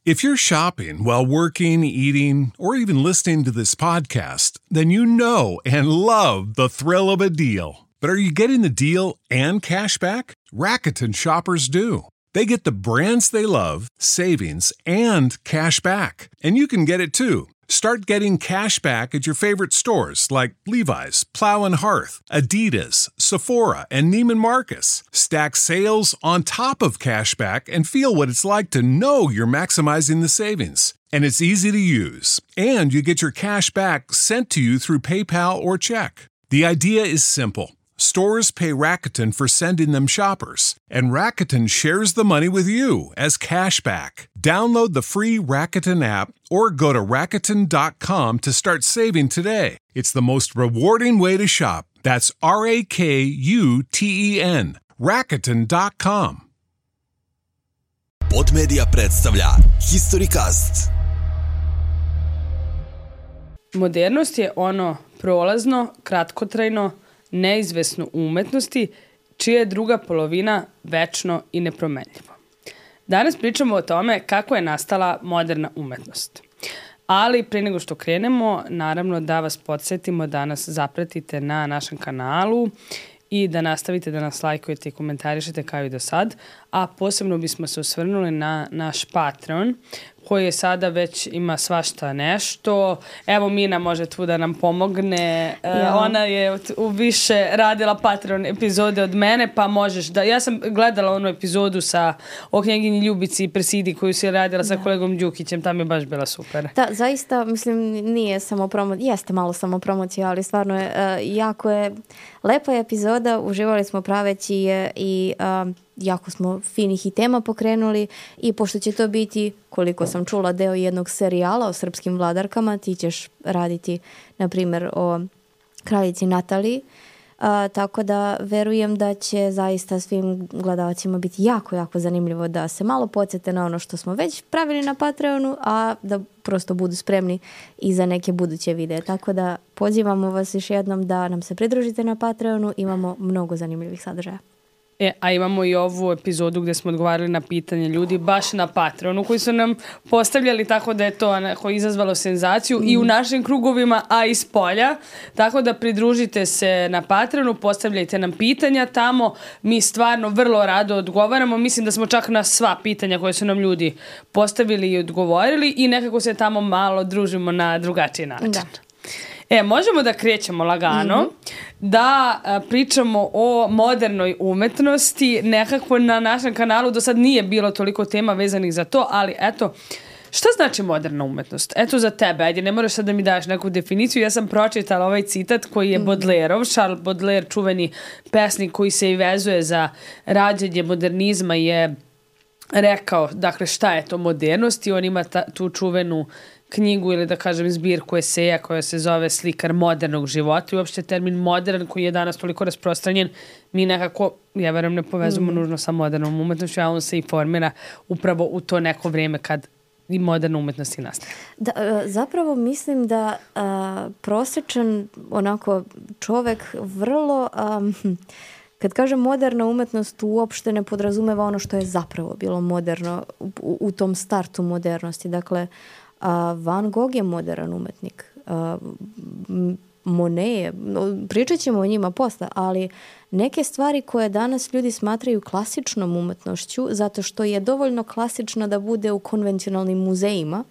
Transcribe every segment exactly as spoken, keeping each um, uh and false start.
If you're shopping while working, eating, or even listening to this podcast, then you know and love the thrill of a deal. But are you getting the deal and cash back? Rakuten shoppers do. They get the brands they love, savings, and cash back. And you can get it too. Start getting cash back at your favorite stores like Levi's, Plow and Hearth, Adidas, Sephora, and Neiman Marcus. Stack sales on top of cash back and feel what it's like to know you're maximizing the savings. And it's easy to use. And you get your cash back sent to you through PayPal or check. The idea is simple. Stores pay Rakuten for sending them shoppers, and Rakuten shares the money with you as cash back. Download the free Rakuten app or go to Rakuten dot com to start saving today. It's the most rewarding way to shop. That's R A K U T E N. Rakuten dot com. Podmedia predstavlja Historycast. Modernost je ono prolazno, kratkotrajno, neizvesno u umetnosti, čija je druga polovina večno i nepromenljivo. Danas pričamo o tome kako je nastala moderna umetnost. Ali pre nego što krenemo, naravno da vas podsjetimo da nas zapratite na našem kanalu i da nastavite da nas lajkujete i komentarišete kao i do sad, a posebno bismo se osvrnuli na naš Patreon, koji je sada već ima svašta nešto. Evo Mina može tu da nam pomogne. Ja. Uh, ona je u više radila Patreon epizode od mene, pa možeš da... Ja sam gledala onu epizodu sa o knjeginji Ljubici i Presidi koju si radila sa da. kolegom Đukićem, tam je baš bila super. Da, zaista, mislim, nije samo promocija, jeste malo samo promocija, ali stvarno je, uh, jako je lepa je epizoda, uživali smo praveći je i... Uh, jako smo finih i tema pokrenuli i pošto će to biti, koliko sam čula, deo jednog serijala o srpskim vladarkama, ti ćeš raditi, na primjer, o kraljici Nataliji, a, tako da verujem da će zaista svim gledalcima biti jako, jako zanimljivo da se malo podsjete na ono što smo već pravili na Patreonu, a da prosto budu spremni i za neke buduće videe. Tako da pozivamo vas još jednom da nam se pridružite na Patreonu, imamo mnogo zanimljivih sadržaja. E, a imamo i ovu epizodu gdje smo odgovarali na pitanje ljudi baš na Patreonu koji su nam postavljali, tako da je to onako izazvalo senzaciju mm. i u našim krugovima, a i s polja. Tako da pridružite se na Patreonu, postavljajte nam pitanja tamo. Mi stvarno vrlo rado odgovaramo. Mislim da smo čak na sva pitanja koje su nam ljudi postavili i odgovorili i nekako se tamo malo družimo na drugačiji način. Da. E, možemo da krećemo lagano, mm-hmm. da a, pričamo o modernoj umetnosti. Nekako na našem kanalu do sad nije bilo toliko tema vezanih za to, ali eto, šta znači moderna umetnost? Eto za tebe, ajde, ne moraš sad da mi daš neku definiciju. Ja sam pročitala ovaj citat koji je Baudelaireov, Charles Baudelaire, čuveni pesnik koji se i vezuje za rađenje modernizma, je rekao, dakle, šta je to modernost i on ima ta, tu čuvenu knjigu ili da kažem zbirku eseja koja se zove Slikar modernog života i uopšte termin modern koji je danas toliko rasprostranjen mi nekako, ja verujem, ne povezujemo mm. nužno sa modernom umetnošću, a on se i formira upravo u to neko vrijeme kad i moderna umetnost i nastaje. Da, zapravo mislim da a, prosječan onako čovek vrlo... A, kad kažem moderna umetnost uopšte ne podrazumeva ono što je zapravo bilo moderno u, u tom startu modernosti. Dakle, a Van Gogh je modern umetnik. A, Monet je, pričat ćemo o njima posle, ali neke stvari koje danas ljudi smatraju klasičnom umetnošću, zato što je dovoljno klasično da bude u konvencionalnim muzejima,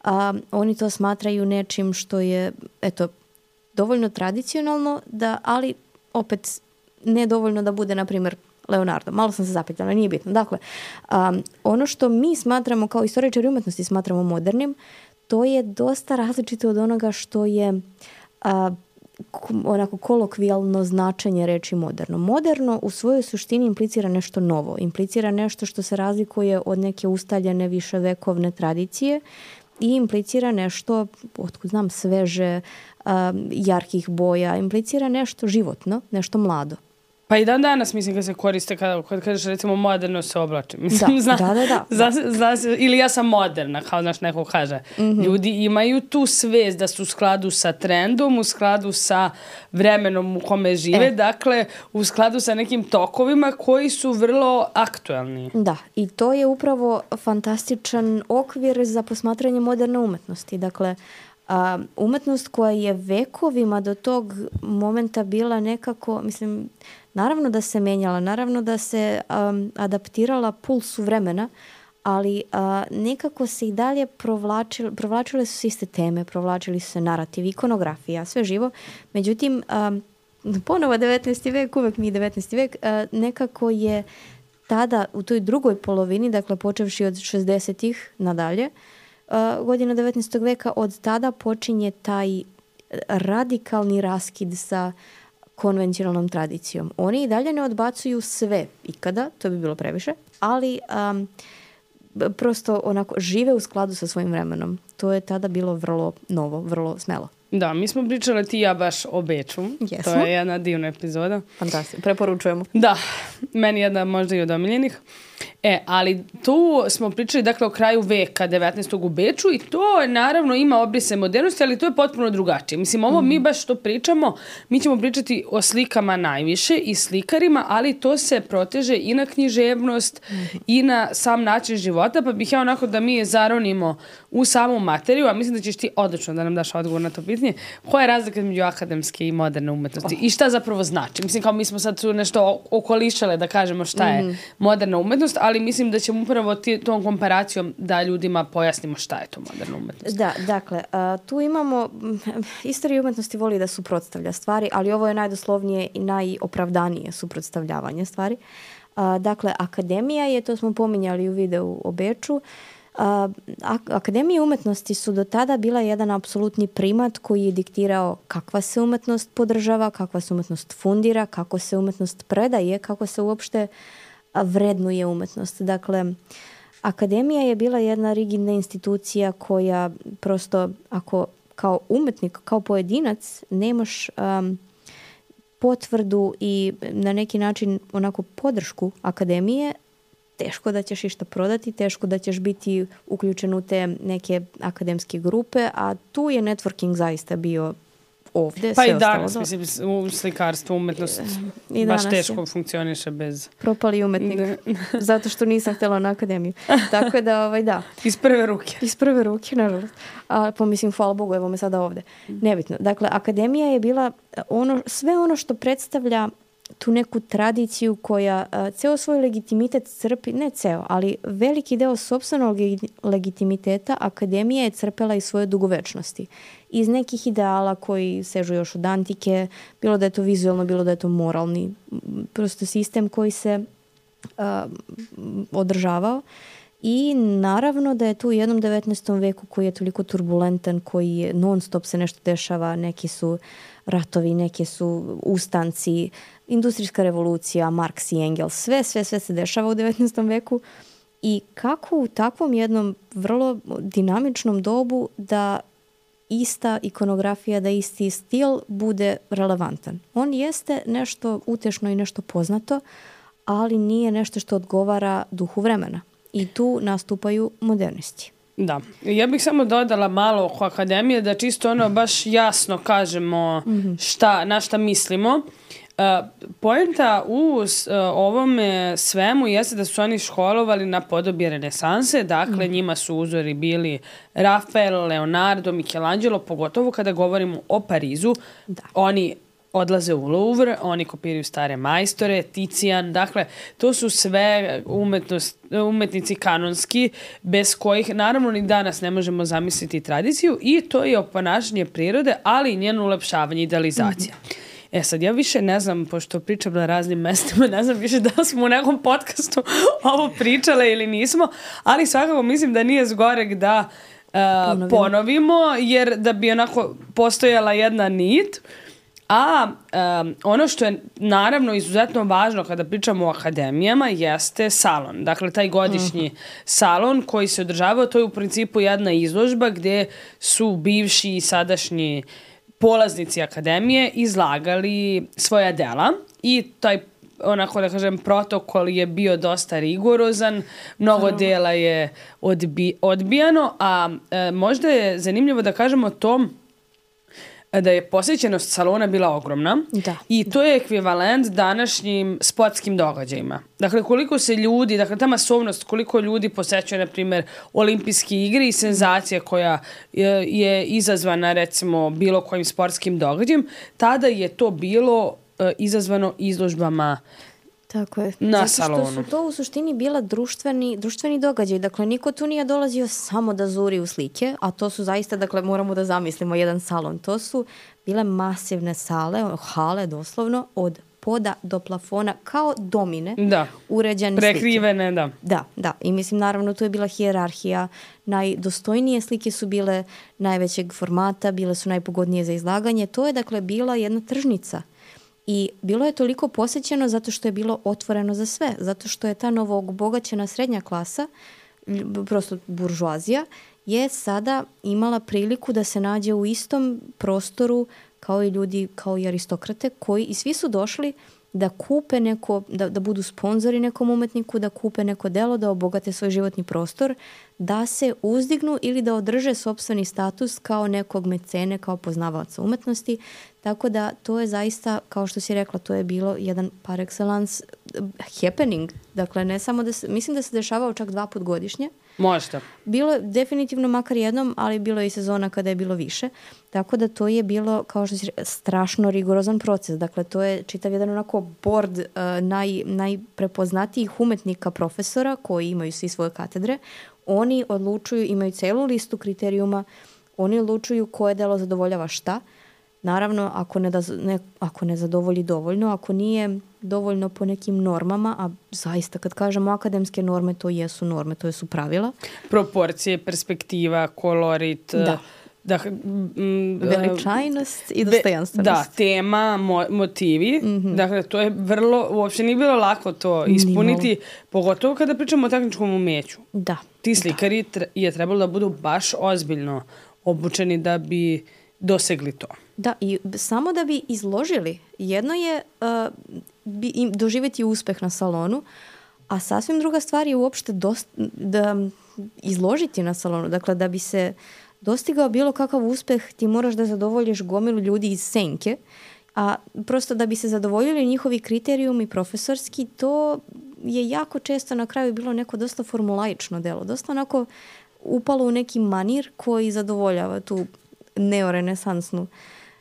a oni to smatraju nečim što je, eto, dovoljno tradicionalno, da, ali opet ne dovoljno da bude, na primjer, Leonardo. Malo sam se zapitala, nije bitno. Dakle, um, ono što mi smatramo kao istoričari umetnosti smatramo modernim, to je dosta različito od onoga što je uh, onako kolokvijalno značenje reči moderno. Moderno u svojoj suštini implicira nešto novo, implicira nešto što se razlikuje od neke ustaljene viševekovne tradicije i implicira nešto, otkud znam, sveže, uh, jarkih boja, implicira nešto životno, nešto mlado. Pa i dan danas, mislim, kad se koriste, kada, kada kažeš, recimo, moderno se oblačim. Mislim, da, zna, da, da, da. Zna, zna, zna, ili ja sam moderna, kao znaš, neko kaže. Mm-hmm. Ljudi imaju tu svest da su u skladu sa trendom, u skladu sa vremenom u kome žive, e. dakle, u skladu sa nekim tokovima koji su vrlo aktuelni. Da, i to je upravo fantastičan okvir za posmatranje moderne umetnosti. Dakle, a, umetnost koja je vekovima do tog momenta bila nekako, mislim, naravno da se menjala, naravno da se um, adaptirala pulsu vremena, ali uh, nekako se i dalje provlačile, provlačile su se iste teme, provlačili su se narativ, ikonografija, sve živo. Međutim, um, ponovo devetnaesti vek, uvek mi devetnaesti vek, uh, nekako je tada u toj drugoj polovini, dakle počevši od šezdesetih nadalje, uh, godina devetnaestog veka, od tada počinje taj radikalni raskid sa konvencionalnom tradicijom. Oni i dalje ne odbacuju sve ikada, to bi bilo previše, ali um, prosto onako žive u skladu sa svojim vremenom. To je tada bilo vrlo novo, vrlo smelo. Da, mi smo pričali ti i ja baš o Beču. Jesmo. To je jedna divna epizoda. Fantastično, preporučujemo. Da, meni jedna možda i od omiljenih. E, ali tu smo pričali, dakle, o kraju veka devetnaestog u Beču i to naravno ima obrise modernosti, ali to je potpuno drugačije. Mislim, ovo mm. mi baš što pričamo, mi ćemo pričati o slikama najviše i slikarima, ali to se proteže i na književnost mm. i na sam način života, pa bih ja onako da mi zaronimo u samu materiju, a mislim da ćeš ti odlično da nam daš odgovor na to pitanje. Koja je razlika između akademske i moderne umetnosti? Oh. I šta zapravo znači? Mislim, kao mi smo sad tu nešto okolišale da kažemo šta je mm. moderna umetnost, ali mislim da ćemo upravo ti, tom komparacijom da ljudima pojasnimo šta je to moderna umetnost. Da, dakle, uh, tu imamo, istorija umetnosti voli da suprotstavlja stvari, ali ovo je najdoslovnije i najopravdanije suprotstavljavanje stvari. Uh, dakle, akademija je, to smo pominjali u videu o Beču, uh, ak- akademije umetnosti su do tada bila jedan apsolutni primat koji je diktirao kakva se umetnost podržava, kakva se umetnost fundira, kako se umetnost predaje, kako se uopšte vrednuje umetnost. Dakle, akademija je bila jedna rigidna institucija koja prosto, ako kao umetnik, kao pojedinac, nemaš um, potvrdu i na neki način onako podršku akademije, teško da ćeš išta prodati, teško da ćeš biti uključen u te neke akademske grupe, a tu je networking zaista bio ovde. Pa i danas, do... mislim, u slikarstvu umetnost I baš teško je. funkcioniše bez... Propali umetnik, zato što nisam htjela na akademiju. Tako da, ovaj, da. Iz prve ruke. Iz prve ruke, nažalost. A, pa mislim, hvala Bogu, evo me sada ovde. Nebitno. Dakle, akademija je bila ono, sve ono što predstavlja tu neku tradiciju koja a, ceo svoj legitimitet crpi, ne ceo, ali veliki deo sopstvenog legitimiteta akademija je crpela iz svoje dugovečnosti. Iz nekih ideala koji sežu još od antike, bilo da je to vizualno, bilo da je to moralni, prosto sistem koji se uh, održavao. I naravno da je tu u jednom devetnaestom veku koji je toliko turbulentan, koji je non stop se nešto dešava, neki su ratovi, neki su ustanci, industrijska revolucija, Marks i Engels, sve, sve, sve se dešava u devetnaestom veku. I kako u takvom jednom vrlo dinamičnom dobu da ista ikonografija, da isti stil bude relevantan. On jeste nešto utešno i nešto poznato, ali nije nešto što odgovara duhu vremena. I tu nastupaju modernisti. Da. Ja bih samo dodala malo oko akademije da čisto ono baš jasno kažemo šta, na šta mislimo. Uh, poenta u uh, ovome svemu jeste da su oni školovali na podobi renesanse, dakle mm. njima su uzori bili Rafael, Leonardo, Michelangelo, pogotovo kada govorimo o Parizu. Da. Oni odlaze u Louvre, oni kopiraju stare majstore, Ticijan, dakle, to su sve umetnost, umetnici kanonski, bez kojih, naravno, ni danas ne možemo zamisliti tradiciju i to je oponašanje prirode, ali i njeno ulepšavanje, idealizacija. Mm-hmm. E sad, ja više ne znam, pošto pričam na raznim mestima, ne znam više da smo u nekom podcastu ovo pričale ili nismo, ali svakako mislim da nije zgorek da uh, ponovimo. ponovimo, jer da bi onako postojala jedna nit. A um, ono što je naravno izuzetno važno kada pričamo o akademijama jeste salon. Dakle, taj godišnji uh-huh. salon koji se održavao, to je u principu jedna izložba gde su bivši i sadašnji polaznici akademije izlagali svoja dela i taj onako da kažem, protokol je bio dosta rigorozan, mnogo dela je odbi, odbijano, a e, možda je zanimljivo da kažemo to da je posjećenost salona bila ogromna da, i to je ekvivalent današnjim sportskim događajima. Dakle, koliko se ljudi, dakle, ta masovnost, koliko ljudi posećuje, na primjer, olimpijske igre i senzacija koja je, je izazvana, recimo, bilo kojim sportskim događajem, tada je to bilo e, izazvano izložbama tako je. na Zato salonu. što su to u suštini bila društveni, društveni događaj. Dakle, niko tu nije dolazio samo da zuri u slike, a to su zaista, dakle, moramo da zamislimo jedan salon. To su bile masivne sale, hale doslovno, od poda do plafona, kao domine, da. uređene Prekrivene, slike. da. Da, da. I mislim, naravno, tu je bila hijerarhija. Najdostojnije slike su bile najvećeg formata, bile su najpogodnije za izlaganje. To je, dakle, bila jedna tržnica. I bilo je toliko posjećeno zato što je bilo otvoreno za sve, zato što je ta novo obogaćena srednja klasa, prosto buržuazija, je sada imala priliku da se nađe u istom prostoru kao i ljudi, kao i aristokrate, koji i svi su došli da kupe neko, da, da budu sponzori nekom umetniku, da kupe neko delo, da obogate svoj životni prostor, da se uzdignu ili da održe sopstveni status kao nekog mecene, kao poznavaoca umetnosti. Tako da to je zaista, kao što si rekla, to je bilo jedan par excellence happening. Dakle, ne samo da se, mislim da se dešavao čak dva put godišnje. Možda. Bilo je definitivno makar jednom, ali bilo je i sezona kada je bilo više. Tako da to je bilo, kao što si rekla, strašno rigorozan proces. Dakle, to je čitav jedan onako board uh, naj, najprepoznatijih umetnika profesora koji imaju svi svoje katedre. Oni odlučuju, imaju celu listu kriterijuma, oni odlučuju koje delo zadovoljava šta. Naravno, ako ne, da, ne, ako ne zadovolji dovoljno, ako nije dovoljno po nekim normama, a zaista kad kažemo akademske norme, to jesu norme, to su pravila. Proporcije, perspektiva, kolorit, da. Da, m, veličajnost i dostojanstvenost. Da, tema, mo, motivi. Mm-hmm. Dakle, to je vrlo, uopće nije bilo lako to ispuniti, Nimalo. Pogotovo kada pričamo o tehničkom umeću. Da. Ti slikari da. je trebalo da budu baš ozbiljno obučeni da bi dosegli to. Da, i samo da bi izložili. Jedno je uh, bi, im, doživjeti uspeh na salonu, a sasvim druga stvar je uopšte dost, da izložiti na salonu. Dakle, da bi se dostigao bilo kakav uspeh, ti moraš da zadovoljiš gomilu ljudi iz senke, a prosto da bi se zadovoljili njihovi kriterijumi profesorski, to je jako često na kraju bilo neko dosta formulaično delo. Dosta onako upalo u neki manir koji zadovoljava tu neorenesansnu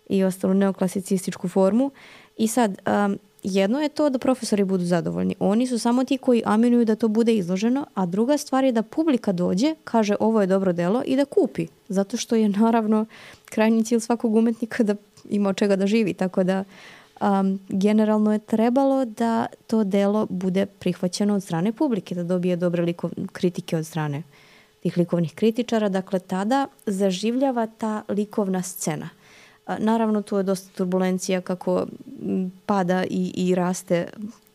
i ostalu neoklasicističku formu. I sad, um, jedno je to da profesori budu zadovoljni. Oni su samo ti koji aminuju da to bude izloženo, a druga stvar je da publika dođe, kaže ovo je dobro delo i da kupi. Zato što je naravno krajnji cilj svakog umetnika da ima od čega da živi. Tako da um, generalno je trebalo da to delo bude prihvaćeno od strane publike, da dobije dobre likov, kritike od strane tih likovnih kritičara. Dakle, tada zaživljava ta likovna scena. Naravno, tu je dosta turbulencija kako pada i, i raste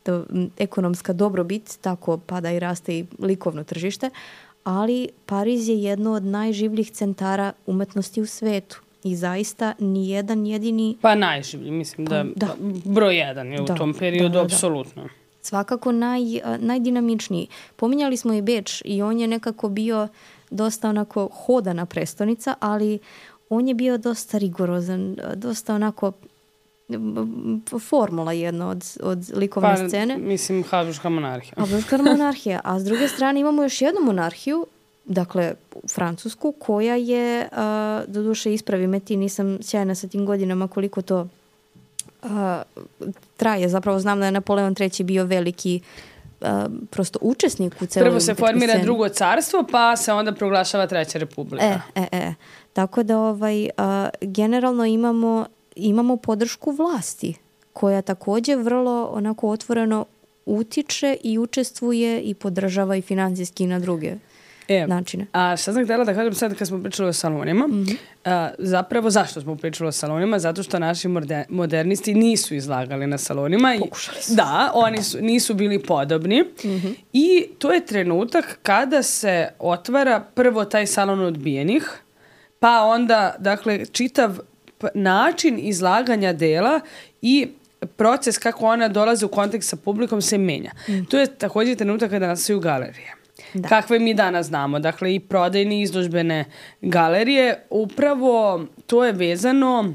to, ekonomska dobrobit, tako pada i raste i likovno tržište, ali Pariz je jedno od najživljih centara umetnosti u svetu i zaista nijedan jedini... Pa najživlji, mislim da, da. broj jedan je da, u tom periodu, da, da, apsolutno. Svakako naj, najdinamičniji. Pominjali smo i Beč i on je nekako bio dosta onako hodana prestonica, ali on je bio dosta rigorozan, dosta onako formula jedna od, od likovne pa, scene. Mislim, Habsburška monarhija. Habsburška monarhija. A s druge strane imamo još jednu monarhiju, dakle, francusku, koja je, uh, doduše ispravi me ti, nisam sjajna sa tim godinama koliko to uh, traje. Zapravo znam da je Napoleon treći bio veliki Uh, prosto učesnik u celoj Prvo se formira sceni. drugo carstvo, pa se onda proglašava treća republika. E, e, e. Tako da ovaj, uh, generalno imamo, imamo podršku vlasti, koja također vrlo onako otvoreno utiče i učestvuje i podržava i financijski na druge e, načine. A šta sam htjela da kažem sad kad smo pričali o salonima, mm-hmm. a, zapravo zašto smo pričali o salonima? Zato što naši morde, modernisti nisu izlagali na salonima. Pokušali su. Da, oni su, nisu bili podobni. Mm-hmm. I to je trenutak kada se otvara prvo taj salon odbijenih, pa onda, dakle, čitav način izlaganja dela i proces kako ona dolazi u kontakt sa publikom se menja. Mm. To je također trenutak kada nastaju galerije. Da. Kakve mi danas znamo. Dakle, i prodajne i izložbene galerije. Upravo to je vezano,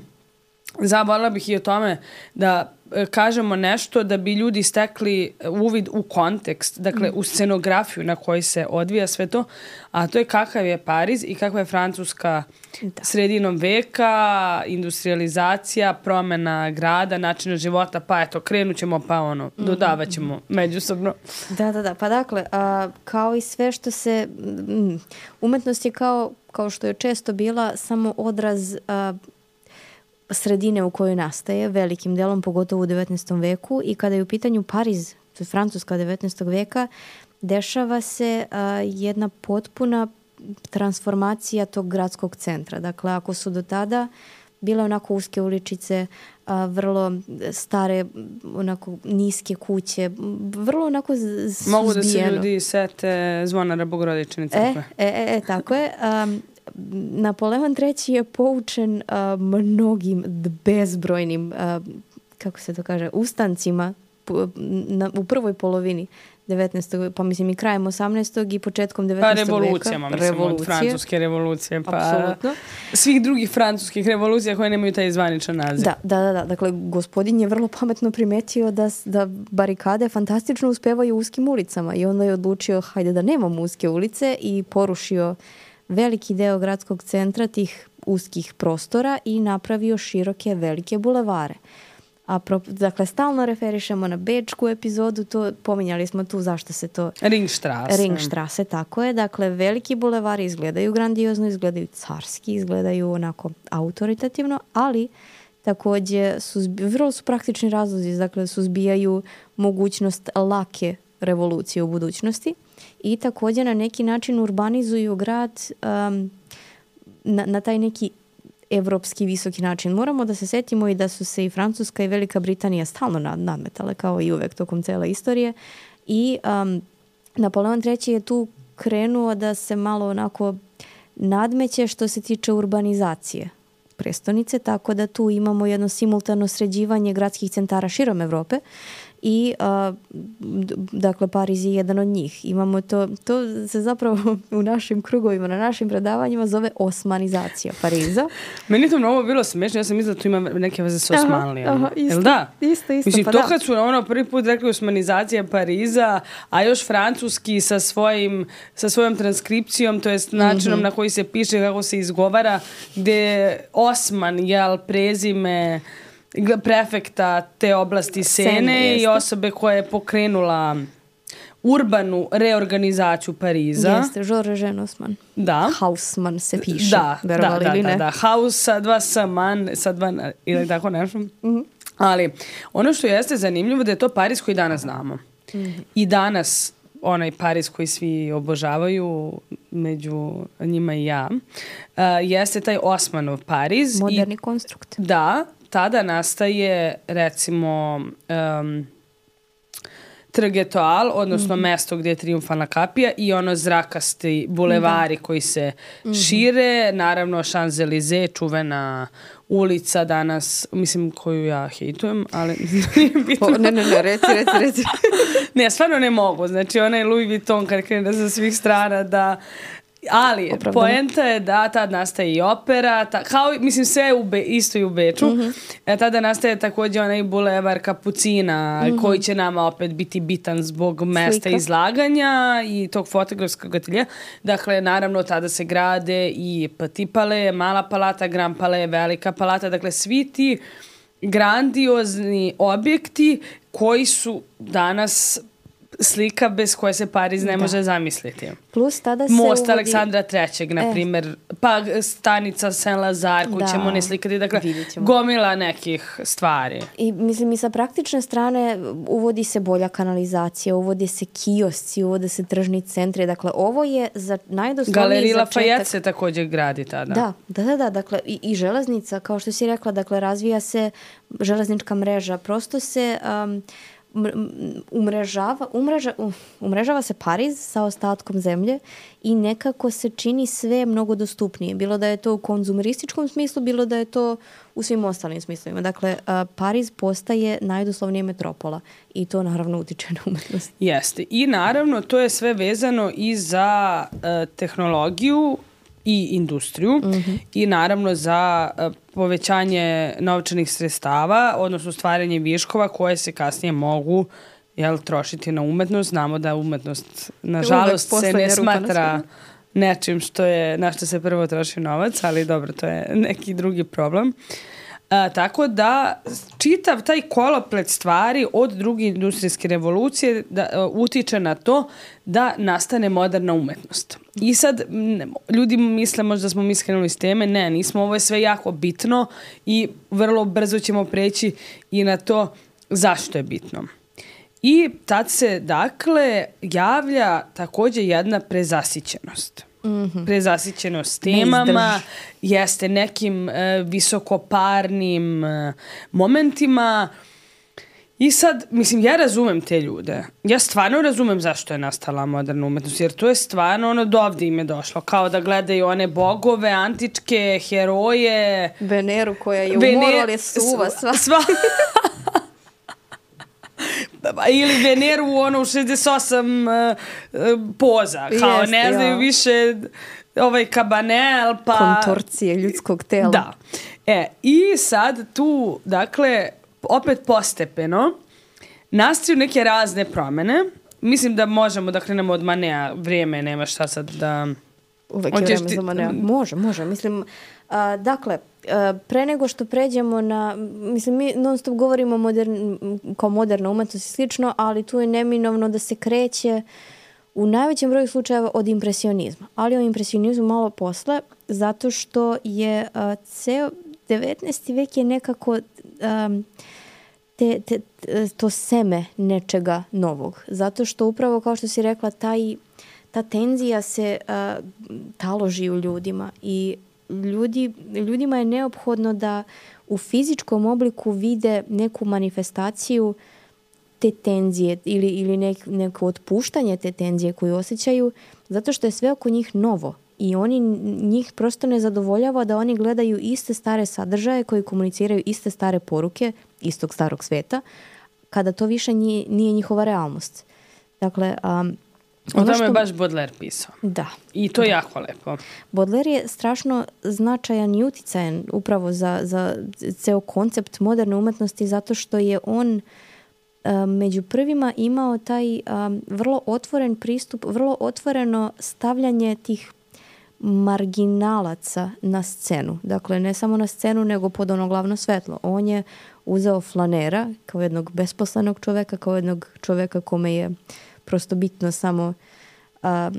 zaboravila bih i o tome da kažemo nešto da bi ljudi stekli uvid u kontekst, dakle u scenografiju na kojoj se odvija sve to, a to je kakav je Pariz i kakva je Francuska da. Sredinom veka, industrializacija, promjena grada, načina života, pa eto, krenut ćemo pa ono, dodavat ćemo međusobno. Da, da, da, pa dakle, a, kao i sve što se, m, umetnost je kao, kao što je često bila samo odraz a, sredine u kojoj nastaje, velikim delom, pogotovo u devetnaestom veku, i kada je u pitanju Pariz, to je Francuska devetnaestog veka, dešava se a, jedna potpuna transformacija tog gradskog centra. Dakle, ako su do tada bile onako uske uličice, a, vrlo stare, onako niske kuće, vrlo onako suzbijeno. Mogu da se ljudi sete Zvonara Bogorodične crkve. E, e, e, tako je. A, Napoleon treći je poučen a, mnogim bezbrojnim, a, kako se to kaže, ustancima po, na, u prvoj polovini devetnaestog pa mislim i krajem osamnaestog i početkom devetnaestog pa veka. Revolucijama, mislim, revolucije. Od francuske revolucije, pa apsolutno. Svih drugih francuskih revolucija koje nemaju taj zvaničan naziv. Da, da, da, da. Dakle, gospodin je vrlo pametno primetio da, da barikade fantastično uspevaju u uskim ulicama i onda je odlučio, hajde da nemamo uske ulice, i porušio veliki deo gradskog centra tih uskih prostora i napravio široke, velike bulevare. A pro, dakle, stalno referišemo na bečku epizodu, to pominjali smo tu zašto se to... Ringstrasse. Ringstrasse, tako je. Dakle, veliki bulevari izgledaju grandiozno, izgledaju carski, izgledaju onako autoritativno, ali također suzbi, vrlo su praktični razlozi, dakle, suzbijaju mogućnost lake revolucije u budućnosti i također na neki način urbanizuju grad um, na, na taj neki evropski visoki način. Moramo da se setimo i da su se i Francuska i Velika Britanija stalno nadmetale, kao i uvek tokom cele istorije, i um, Napoleon treći je tu krenuo da se malo onako nadmeće što se tiče urbanizacije prestonice, tako da tu imamo jedno simultano sređivanje gradskih centara širom Evrope i a, dakle Pariz je jedan od njih. Imamo to, to se zapravo u našim krugovima, na našim predavanjima zove osmanizacija Pariza. Meni to mnogo bilo smiješno, ja sam mislila da tu ima neke veze s Osmanlijama. Aha, isto, jel da? Isto, isto, Mislim, pa to da. kad su ono prvi put rekli osmanizacija Pariza, a još francuski sa svojim, sa svojom transkripcijom, to jest načinom mm-hmm. na koji se piše, kako se izgovara, gde Osman, jel, prezime prefekta te oblasti Sene, Sene i osobe koja je pokrenula urbanu reorganizaciju Pariza. Jeste, Georges Osman. Da. Haussmann se piše. Da, da, da, ili da, ne? da. Haus sa dva S-man, sa dva, ili tako nešto. Mm-hmm. Ali ono što jeste zanimljivo da je to Pariz koji danas znamo. Mm-hmm. I danas onaj Pariz koji svi obožavaju, među njima i ja, uh, jeste taj Osmanov Pariz. Moderni I, konstrukt. Da, tada nastaje, recimo, um, Trg Etoile, odnosno mm-hmm. mesto gdje je Triumfalna kapija i ono zrakasti bulevari da. Koji se mm-hmm. šire. Naravno, Champs-Élysées, čuvena ulica danas, mislim, koju ja hejtujem, ali o, ne, ne, ne, reci, reci, reci. Ne, stvarno ne mogu. Znači, onaj Louis Vuitton kad krene sa svih strana da... Ali, opravdano. Poenta je da tad nastaje i opera, ta, kao, mislim, sve u Be, isto i u Beču. Mm-hmm. E, tada nastaje također onaj bulevar Kapucina, mm-hmm. koji će nama opet biti bitan zbog mesta Slika. Izlaganja i tog fotografskog ateljea. Dakle, naravno, tada se grade i Petit Palais, Mala palata, Grand Palais, Velika palata. Dakle, svi ti grandiozni objekti koji su danas slika bez koje se Pariz ne da. Može zamisliti. Plus tada se Most uvodi... Aleksandra trećeg, na primjer, e. pa stanica Saint-Lazare, koju ćemo ne slikati, dakle, gomila nekih stvari. I mislim, i sa praktične strane uvodi se bolja kanalizacija, uvode se kiosci, uvode se tržni centri, dakle, ovo je za najdoslovniji Galerija začetak... Lafayette se također gradi tada. Da, da, da, da, dakle, i, i železnica, kao što si rekla, dakle, razvija se železnička mreža, prosto se... Um, umrežava, umreža, umrežava se Pariz sa ostatkom zemlje i nekako se čini sve mnogo dostupnije. Bilo da je to u konzumerističkom smislu, bilo da je to u svim ostalim smislovima. Dakle, Pariz postaje najdoslovnije metropola i to naravno utiče na umetnost. Jeste. I naravno to je sve vezano i za uh, tehnologiju i industriju mm-hmm. i naravno za uh, povećanje novčanih sredstava, odnosno stvaranje viškova koje se kasnije mogu jel, trošiti na umetnost. Znamo da umetnost, nažalost, se ne smatra nečim što je, na što se prvo troši novac, ali dobro, to je neki drugi problem. A, tako da čitav taj koloplet stvari od druge industrijske revolucije da, a, utiče na to da nastane moderna umetnost. I sad ne, ljudi misle možda da smo mi skrenuli s teme, ne, nismo, ovo je sve jako bitno i vrlo brzo ćemo preći i na to zašto je bitno. I tad se dakle javlja također jedna prezasićenost. Mm-hmm. Prezasićenost temama, jeste nekim e, visokoparnim e, momentima. I sad, mislim, ja razumem te ljude. Ja stvarno razumem zašto je nastala moderna umetnost, jer to je stvarno ono do ovdje im je došlo. Kao da gledaju one bogove, antičke, heroje. Veneru koja je u Vener... moru, ali je suva sva. sva. Ili Veneru u ono šezdeset osam uh, uh, poza. Kao Jest, ne znaju ja. više ovaj kabanel, pa... kontorcije ljudskog tela. Da. E, i sad tu, dakle, opet postepeno nastaju neke razne promjene. Mislim da možemo da krenemo od Manea. Vrijeme nema šta sad da... Uvek je vreme ti... za Manea. Može, može. Mislim, uh, dakle, Uh, pre nego što pređemo na, mislim, mi non stop govorimo modern, kao moderna umetnost i slično, ali tu je neminovno da se kreće u najvećem broju slučajeva od impresionizma. Ali o impresionizmu malo posle, zato što je uh, ceo devetnaesti vek je nekako um, te, te, to seme nečega novog. Zato što upravo, kao što si rekla, taj, ta tenzija se uh, taloži u ljudima i Ljudi, ljudima je neophodno da u fizičkom obliku vide neku manifestaciju te tenzije ili, ili nek, neko otpuštanje te tenzije koju osjećaju, zato što je sve oko njih novo i oni, njih prosto ne zadovoljava da oni gledaju iste stare sadržaje koji komuniciraju iste stare poruke istog starog sveta, kada to više nije, nije njihova realnost. Dakle, um, o tome što... je baš Baudelaire pisao. Da. I to je da. jako lepo. Baudelaire je strašno značajan i uticajan upravo za, za ceo koncept moderne umetnosti zato što je on um, među prvima imao taj um, vrlo otvoren pristup, vrlo otvoreno stavljanje tih marginalaca na scenu. Dakle, ne samo na scenu, nego pod ono glavno svetlo. On je uzeo flanera kao jednog besposlenog čoveka, kao jednog čoveka kome je prosto bitno samo a,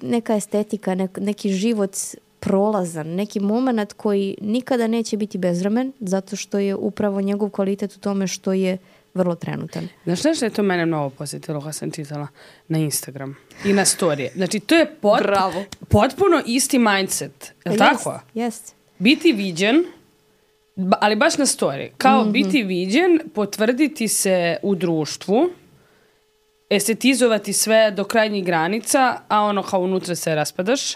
neka estetika, nek, neki život prolazan, neki moment koji nikada neće biti bezvremen, zato što je upravo njegov kvalitet u tome što je vrlo trenutan. Znaš nešto je to mene mnogo posjetilo kad sam čitala na Instagram i na storije. Znači, to je pot, potpuno isti mindset. Je li tako? Jest. Biti viđen, ali baš na storiji. Kao mm-hmm. biti viđen, potvrditi se u društvu, estetizovati sve do krajnjih granica, a ono kao unutra se raspadaš.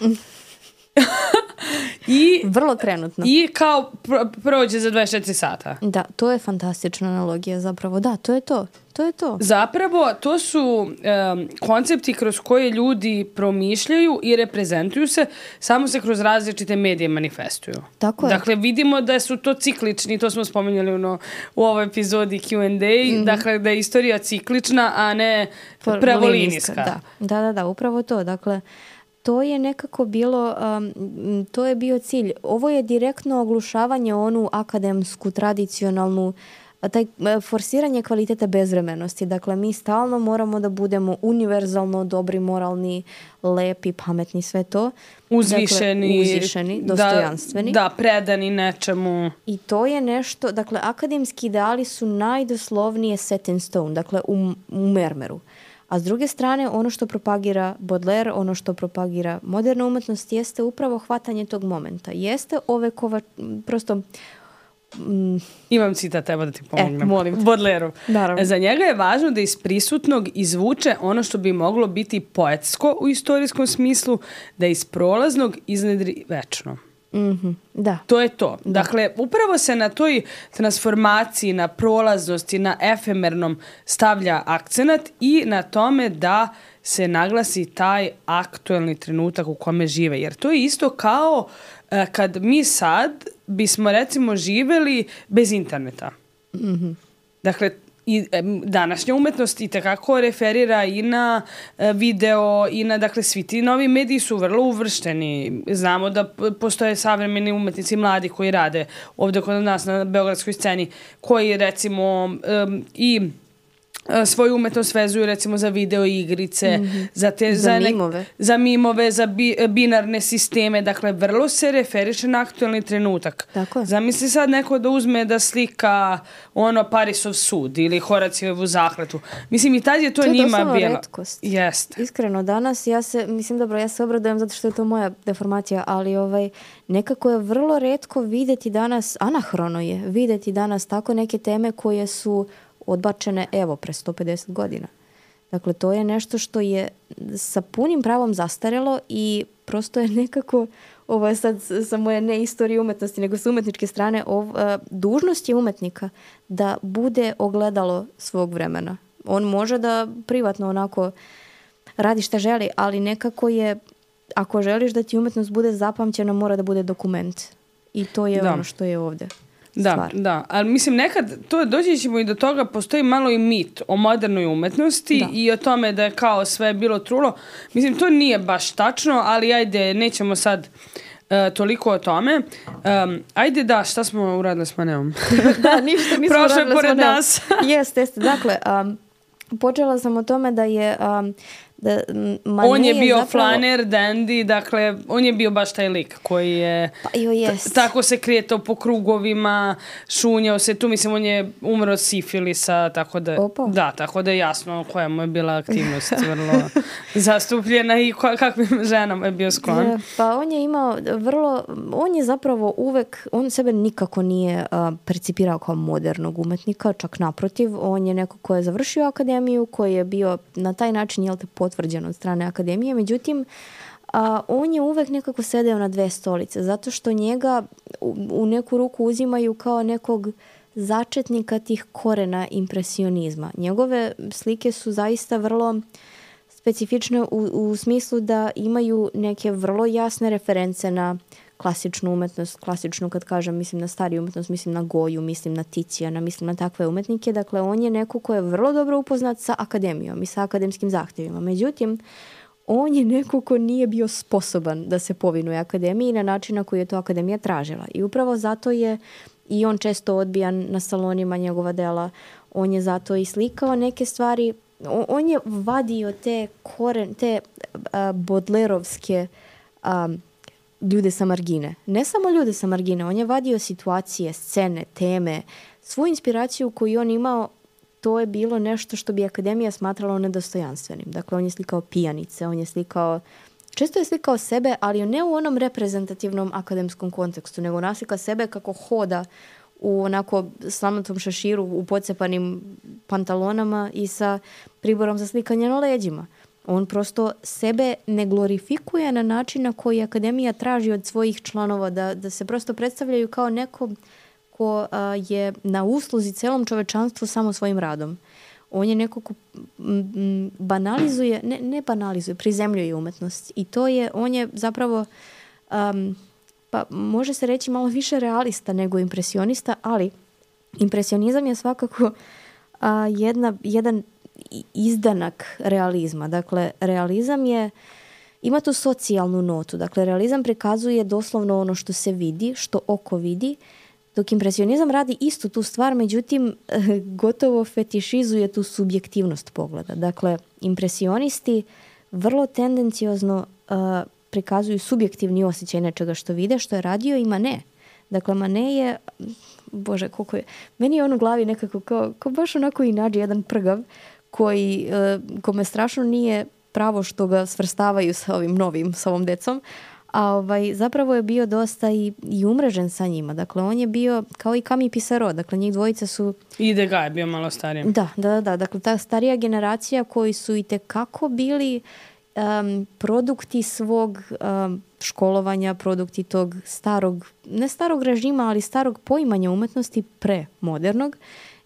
I, vrlo trenutno. I kao pro, prođe za dvadeset četiri sata. Da, to je fantastična analogija zapravo. Da, to je to. To je to. Zapravo, to su um, koncepti kroz koje ljudi promišljaju i reprezentuju se, samo se kroz različite medije manifestuju. Tako je. Dakle, vidimo da su to ciklični, to smo spominjali ono, u ovoj epizodi Q and A, mm-hmm. dakle, da je istorija ciklična, a ne pravolinijska. Da. da, da, da, upravo to. Dakle, to je nekako bilo, um, to je bio cilj. Ovo je direktno oglušavanje onu akademsku, tradicionalnu, taj forsiranje kvaliteta bezvremenosti. Dakle, mi stalno moramo da budemo univerzalno dobri, moralni, lepi, pametni, sve to. Uzvišeni. Dakle, uzvišeni, dostojanstveni. Da, da, predani nečemu. I to je nešto, dakle, akademski ideali su najdoslovnije set in stone, dakle, u, u mermeru. A s druge strane, ono što propagira Baudelaire, ono što propagira moderna umetnost, jeste upravo hvatanje tog momenta. Jeste ove kova, prosto Mm. Imam citat, evo da ti pomognem. E, molim te. Baudelaire. Naravno. Za njega je važno da iz prisutnog izvuče ono što bi moglo biti poetsko u istorijskom smislu, da iz prolaznog iznedri večno. Mm-hmm. Da. To je to. Dakle, upravo se na toj transformaciji, na prolaznosti, na efemernom stavlja akcenat i na tome da se naglasi taj aktuelni trenutak u kome žive. Jer to je isto kao uh, kad mi sad bismo recimo živeli bez interneta. Mm-hmm. Dakle, i današnja umetnost i tekako referira i na video i na, dakle, svi ti novi mediji su vrlo uvršteni. Znamo da postoje savremeni umetnici mladi koji rade ovdje kod nas na beogradskoj sceni, koji recimo um, i svoju umetnost vezuju recimo za video igrice, mm-hmm. za, te, za, za, mimove. Ne, za mimove, za bi, binarne sisteme. Dakle, vrlo se referiše na aktualni trenutak. Tako je. Zamisli sad neko da uzme da slika ono Parisov sud ili Horacijevu zakletu. Mislim, i tad je to, to njima bilo. To je bilo. retkost. Jeste. Iskreno, danas ja se, mislim, dobro, ja se obradujem zato što je to moja deformacija, ali ovaj, nekako je vrlo retko vidjeti danas, anahrono je vidjeti danas tako neke teme koje su odbačene, evo, pre sto pedeset godina. Dakle, to je nešto što je sa punim pravom zastarelo i prosto je nekako, ovo je sad sa moje ne istorije umetnosti, nego sa umetničke strane, ov, a, dužnost je umetnika da bude ogledalo svog vremena. On može da privatno onako radi šta želi, ali nekako je, ako želiš da ti umetnost bude zapamćena, mora da bude dokument. I to je da. ono što je ovdje. Da, stvar. da, ali mislim nekad to doći ćemo i do toga, postoji malo i mit o modernoj umetnosti da. I o tome da je kao sve bilo trulo. Mislim, to nije baš tačno, ali ajde, nećemo sad uh, toliko o tome. Um, ajde da, šta smo uradili s Maneom? Da, ništa nismo uradili s pored Maneom. nas. Jeste, jeste. Dakle, um, počela sam o tome da je... Um, da Manet on je bio je zapravo... flaner, dandy, dakle, on je bio baš taj lik koji je pa, jo, jest. t- tako se kretao po krugovima, šunjao se tu, mislim, on je umro od sifilisa, tako da, Opa. da, tako da je jasno koja mu je bila aktivnost vrlo zastupljena i ko, kakvim ženama je bio sklon. Pa on je imao vrlo, on je zapravo uvek, on sebe nikako nije uh, percipirao kao modernog umetnika, čak naprotiv, on je neko ko je završio akademiju, koji je bio na taj način, jel te, potvrđen od strane akademije, međutim a, on je uvek nekako sedeo na dve stolice, zato što njega u, u neku ruku uzimaju kao nekog začetnika tih korena impresionizma. Njegove slike su zaista vrlo specifične u, u smislu da imaju neke vrlo jasne reference na klasičnu umetnost, klasičnu kad kažem, mislim na stariju umetnost, mislim na Goju, mislim na Ticijana, mislim na takve umetnike. Dakle, on je neko ko je vrlo dobro upoznat sa akademijom i sa akademskim zahtjevima. Međutim, on je neko ko nije bio sposoban da se povinuje akademiji na način na koji je to akademija tražila. I upravo zato je i on često odbijan na salonima njegova dela. On je zato i slikao neke stvari. On, on je vadio te koren, te uh, bodlerovske um, ljude sa margine. Ne samo ljude sa margine, on je vadio situacije, scene, teme, svu inspiraciju koju on imao, to je bilo nešto što bi akademija smatrala nedostojanstvenim. Dakle, on je slikao pijanice, on je slikao, često je slikao sebe, ali ne u onom reprezentativnom akademskom kontekstu, nego naslika sebe kako hoda u onako slamnatom šeširu, u pocepanim pantalonama i sa priborom za slikanje na leđima. On prosto sebe ne glorifikuje na način na koji akademija traži od svojih članova da, da se prosto predstavljaju kao neko ko a, je na usluzi celom čovečanstvu samo svojim radom. On je neko ko m, banalizuje, ne, ne banalizuje, prizemljuje umetnost. I to je, on je zapravo, um, pa može se reći malo više realista nego impresionista, ali impresionizam je svakako a, jedna, jedan izdanak realizma. Dakle, realizam je, ima tu socijalnu notu. Dakle, realizam prikazuje doslovno ono što se vidi, što oko vidi, dok impresionizam radi istu tu stvar, međutim, gotovo fetišizuje tu subjektivnost pogleda. Dakle, impresionisti vrlo tendenciozno uh, prikazuju subjektivni osjećaj nečega što vide, što je radio i Manet. Dakle, Manet je, bože, koliko je, meni je on u glavi nekako kao, kao baš onako i nađe jedan prgav, koji, uh, kome strašno nije pravo što ga svrstavaju sa ovim novim, sa ovom decom, a ovaj, zapravo je bio dosta i, i umrežen sa njima. Dakle, on je bio kao i Camille Pissarro, dakle njih dvojica su... I Degas je bio malo stariji. Da, da, da, dakle ta starija generacija koji su i tekako bili um, produkti svog um, školovanja, produkti tog starog, ne starog režima, ali starog poimanja umetnosti pre modernog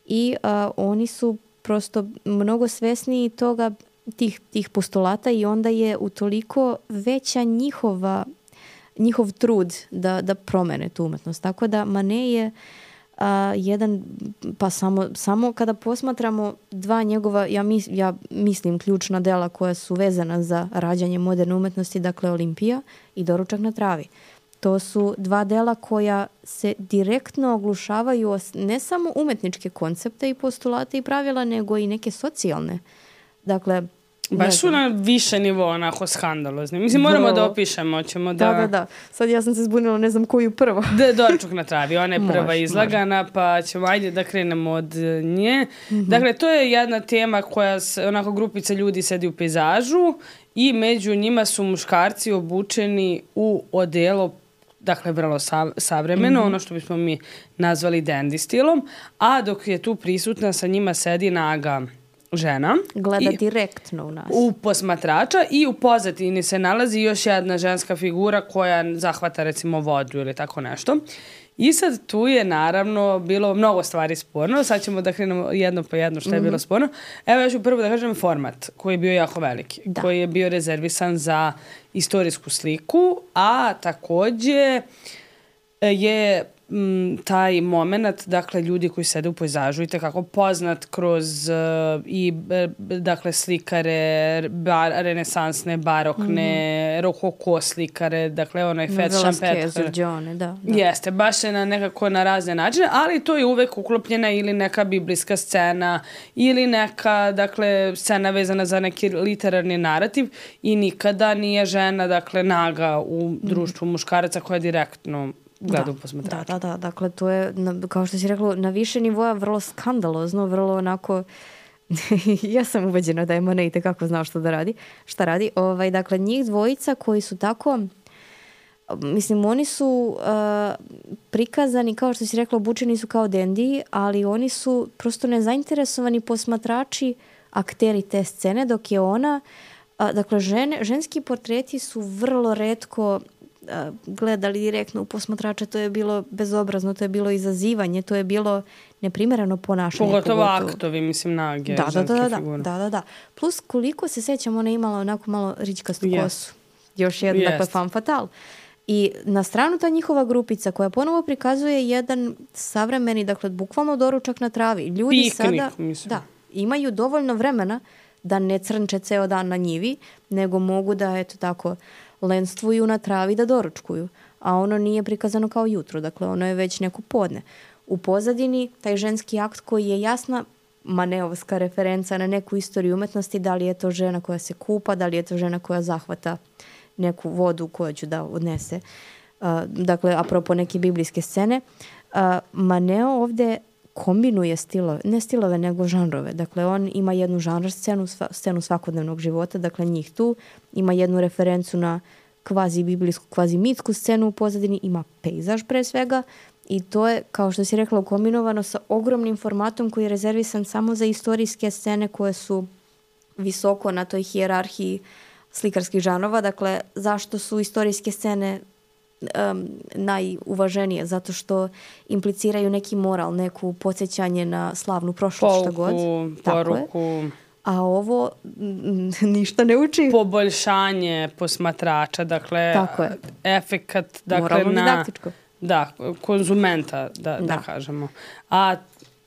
i uh, oni su prosto mnogo svesniji toga, tih, tih postulata i onda je utoliko veća njihova, njihov trud da, da promene tu umetnost. Tako da Manet je a, jedan, pa samo, samo kada posmatramo dva njegova, ja, mis, ja mislim ključna dela koja su vezana za rađanje moderne umetnosti, dakle Olimpija i Doručak na travi. To su dva dela koja se direktno oglušavaju ne samo umetničke koncepte i postulate i pravila, nego i neke socijalne. Dakle, baš su na više nivo onako skandalozni. Mislim, moramo Vrlo. da opišemo. Ćemo da... da, da, da. Sad ja sam se zbunila, ne znam koju prvo. Da, Doručak na travi. Ona je prva može, izlagana, može. Pa ćemo ajde da krenemo od nje. Mm-hmm. Dakle, to je jedna tema koja, onako, grupica ljudi sedi u pejzažu i među njima su muškarci obučeni u odelo, dakle, vrlo sav, savremeno, mm-hmm. ono što bismo mi nazvali dandy stilom, a dok je tu prisutna sa njima sedi naga žena. Gleda i, direktno u nas. U posmatrača i u pozadini se nalazi još jedna ženska figura koja zahvata recimo vodu ili tako nešto. I sad tu je naravno bilo mnogo stvari sporno. Sad ćemo da krenemo jedno po jedno što je mm-hmm. bilo sporno. Evo ja ću prvo da kažem format koji je bio jako veliki. Da. Koji je bio rezervisan za istorijsku sliku, a takođe je m, taj moment, dakle, ljudi koji sede u pejzažu i tekako poznat kroz uh, i dakle slikare bar, renesansne, barokne, mm-hmm. rokoko slikare, dakle onaj Fred Champêtre. Da, da. Jeste, baš je na nekako na razne načine, ali to je uvek uklopljena ili neka biblijska scena ili neka, dakle, scena vezana za neki literarni narativ i nikada nije žena, dakle, naga u društvu mm-hmm. muškaraca koja je direktno gledam posmatrača. Da, da, da. Dakle, to je, na, kao što si rekla, na više nivoja vrlo skandalozno, vrlo onako... ja sam ubeđena da je Manet itekako znao što da radi, šta radi. Ovaj, dakle, njih dvojica koji su tako... Mislim, oni su uh, prikazani, kao što si rekla, obučeni su kao dendi, ali oni su prosto nezainteresovani posmatrači, akteri te scene, dok je ona... Uh, dakle, žene, ženski portreti su vrlo retko gledali direktno u posmatrača, to je bilo bezobrazno, to je bilo izazivanje, to je bilo neprimereno ponašanje. Pogotovo aktovi, mislim, nage, da, ženske da, da, figure. Da, da, da. Plus, koliko se sećam, ona je imala onako malo ričkastu yes. kosu. Još jedna, yes. dakle, femme fatale. I na stranu ta njihova grupica koja ponovo prikazuje jedan savremeni, dakle, bukvalno doručak na travi. Ljudi Piknik, sada mislim. Da, imaju dovoljno vremena da ne crnče ceo dan na njivi, nego mogu da, eto tako, lenstvuju na travi da doručkuju. A ono nije prikazano kao jutro, dakle ono je već neko podne. U pozadini taj ženski akt koji je jasna maneovska referenca na neku istoriju umetnosti, da li je to žena koja se kupa, da li je to žena koja zahvata neku vodu koju će da odnese. Uh, dakle, apropo neke biblijske scene, uh, Manet ovde kombinuje stilove, ne stilove, nego žanrove. Dakle, on ima jednu žanr scenu, sva, scenu svakodnevnog života, dakle njih tu, ima jednu referencu na kvazi biblijsku, kvazi mitsku scenu u pozadini, ima pejzaž pre svega i to je, kao što si rekla, ukombinovano sa ogromnim formatom koji je rezervisan samo za istorijske scene koje su visoko na toj hijerarhiji slikarskih žanrova. Dakle, zašto su istorijske scene Um, najuvaženije, zato što impliciraju neki moral, neku podsjećanje na slavnu prošlost, šta god. Poruku. A ovo m, ništa ne uči. Poboljšanje posmatrača, dakle, efekat, dakle, moralno na... didaktičko. Da, konzumenta, da, da. da kažemo. A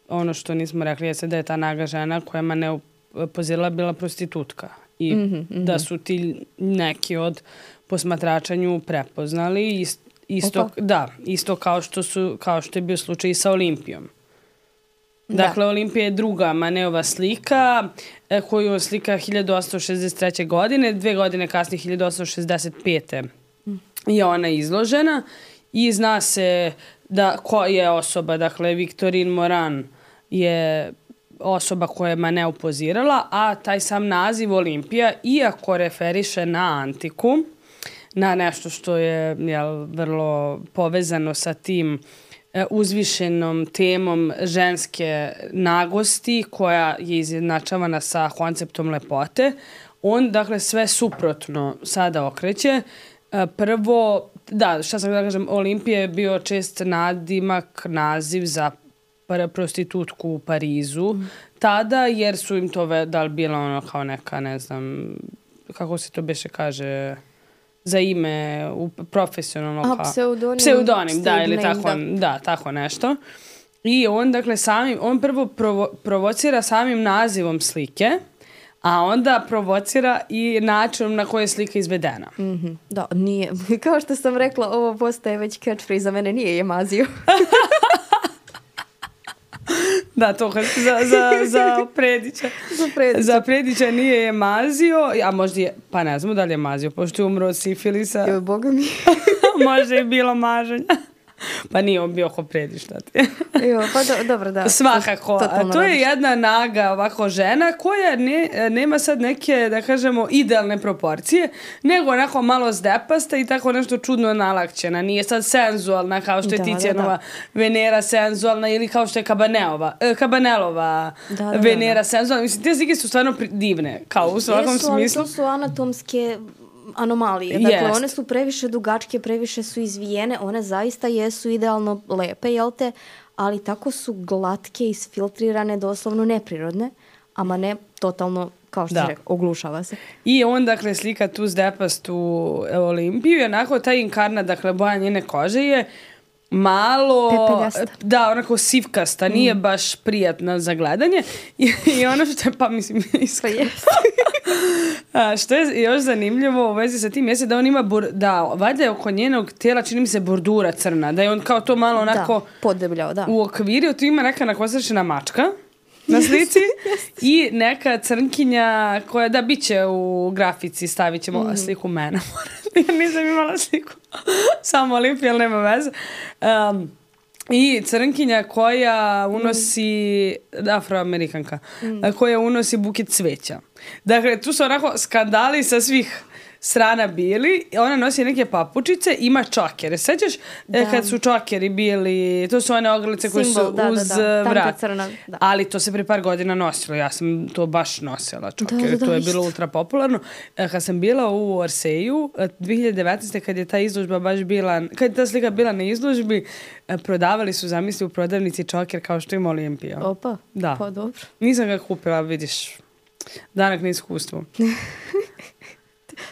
ono što nismo rekli je da je ta naga žena koja ma ne pozirala bila prostitutka. I mm-hmm, mm-hmm. da su ti neki od posmatračanju prepoznali isto, isto da, isto kao što su kao što je bio slučaj i sa Olimpijom. Dakle, da. Olimpija je druga Manetova slika koju on slika hiljadu osamsto šezdeset treće. godine, dve godine kasnije hiljadu osamsto šezdeset pete. Mm. je ona izložena i zna se da ko je osoba, dakle Victorine Moran je osoba koja je Manet upozirala, a taj sam naziv Olimpija, iako referiše na antiku, na nešto što je jel, vrlo povezano sa tim e, uzvišenom temom ženske nagosti koja je izjednačavana sa konceptom lepote. On, dakle, sve suprotno sada okreće. E, prvo, da, šta sam da kažem, Olimpija je bio čest nadimak, naziv za prostitutku u Parizu mm. tada, jer su im to ve, da li bila ono kao neka, ne znam, kako se to beše kaže, za ime u profesionalno A, pseudonim. Pseudonim, da, ili name, tako, da. da, tako nešto. I on, dakle, samim, on prvo provo, provocira samim nazivom slike, a onda provocira i načinom na koji je slika izvedena. Mm-hmm. Da, nije. Kao što sam rekla, ovo postaje već catchphrase, za mene nije Jemazio. Da, to za, za, za Predića. za Predića. Za Predića nije Jemazio, a možda je, pa ne znamo da li je Jemazio, pošto je umro od sifilisa. Joj, Boga mi. Možda je bilo maženja. Pa nije on bio ko Predić, šta ti? Jo, pa do, dobro, da. Svakako. To, a to je jedna naga ovako žena koja ne, nema sad neke, da kažemo, idealne proporcije, nego onako malo zdepasta i tako nešto čudno nalakćena. Nije sad senzualna kao što je da, Tizianova da, da. Venera senzualna ili kao što je Kabaneova, eh, Kabanelova da, da, Venera da, da. senzualna. Mislim, te slike su stvarno divne, kao u svakom Jesu, smislu. Ali to su anatomske anomalije. Dakle, Jest. one su previše dugačke, previše su izvijene, one zaista jesu idealno lepe, jel te? Ali tako su glatke, isfiltrirane, doslovno neprirodne, ama ne totalno, kao što se rekao, oglušava se. I on, dakle, slika tu zdepastu Olimpiju i onako taj inkarnat, dakle, boja njene kože je malo, pepegasta. Da, onako sivkasta, nije mm. baš prijatna za gledanje. I, i ono što je, pa mislim, iskreno. A, što je još zanimljivo u vezi sa tim jeste da on ima, bur, da, valjda je oko njenog tijela, čini mi se, bordura crna, da je on kao to malo onako da, podebljao, da. U okviru, tu ima neka nakosršena mačka na slici i neka crnkinja koja, da, bit će u grafici, stavit ćemo mm. sliku mene. Ja nisam imala sliku, samo Olimpija, ali nema veze. Um, I crnkinja koja unosi, mm. afroamerikanka, mm. koja unosi buket cveća. Dakle, tu su onako skandali sa svih strana bili. Ona nosi neke papučice, ima čokere. Sećaš da. Kad su čokeri bili, to su one ogrlice koje su da, uz da, da. vrat. Crna, da. Ali to se pre par godina nosilo. Ja sam to baš nosila, čokere. Da, da, da, to je bilo isto. Ultra popularno. Kad sam bila u Orseju, dvije hiljade devetnaeste. kad je ta izložba baš bila, kad je ta slika bila na izložbi, prodavali su, zamisli, u prodavnici čoker kao što ima Olimpija. Opa, da. Pa dobro. Nisam ga kupila, vidiš. Danak na iskustvu.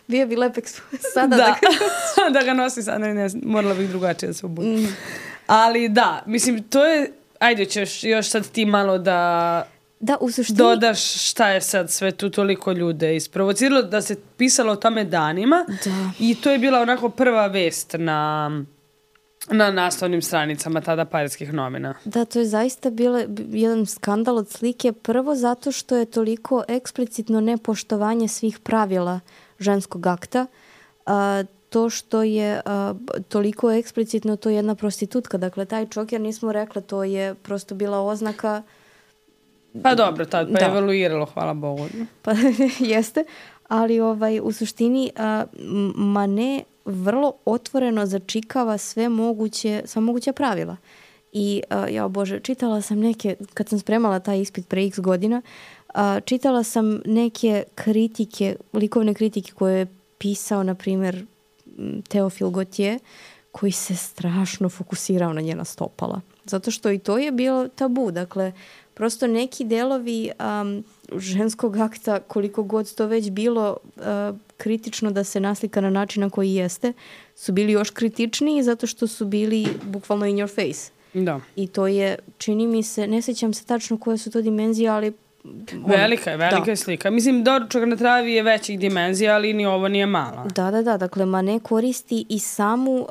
Bio bi lepek sada da, da ga, da ga nosi sada, ne, ne, morala bih drugačije da se obući. Mm. Ali da, mislim, to je, ajde ćeš još sad ti malo da, da u suštini dodaš šta je sad sve tu toliko ljude isprovociralo, da se pisalo o tome danima da. I to je bila onako prva vest na, na naslovnim stranicama tada parijskih novina. Da, to je zaista bilo jedan skandal od slike, prvo zato što je toliko eksplicitno nepoštovanje svih pravila ženskog akta, a, to što je a, toliko eksplicitno, to je jedna prostitutka. Dakle, taj čoker, nismo rekla, to je prosto bila oznaka. Pa dobro, tad pa da. Je evoluiralo, hvala Bogu. Pa jeste, ali ovaj, u suštini a, Manet vrlo otvoreno začikava sve moguće, sva moguća pravila. I, a, ja bože, čitala sam neke, kad sam spremala taj ispit pre x godina, a, čitala sam neke kritike, likovne kritike koje je pisao, na primjer, Teofil Gautier, koji se strašno fokusirao na njena stopala. Zato što i to je bilo tabu. Dakle, prosto neki delovi um, ženskog akta, koliko god to već bilo uh, kritično da se naslika na način na koji jeste, su bili još kritičniji zato što su bili bukvalno in your face. Da. I to je, čini mi se, ne sjećam se tačno koje su to dimenzije, ali velika je, velika je slika. Mislim, doručak na travi je većih dimenzija, ali ni ovo nije mala. Da, da, da. Dakle, Manet koristi i samu uh,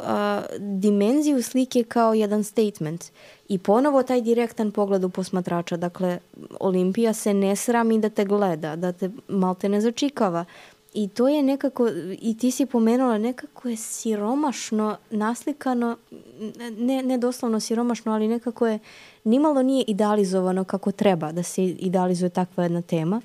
dimenziju slike kao jedan statement. I ponovo taj direktan pogled u posmatrača. Dakle, Olimpija se ne srami da te gleda, da te malte ne začikava. I to je nekako, i ti si pomenula, nekako je siromašno naslikano, ne, ne doslovno siromašno, ali nekako je, nimalo nije idealizovano kako treba da se idealizuje takva jedna tema.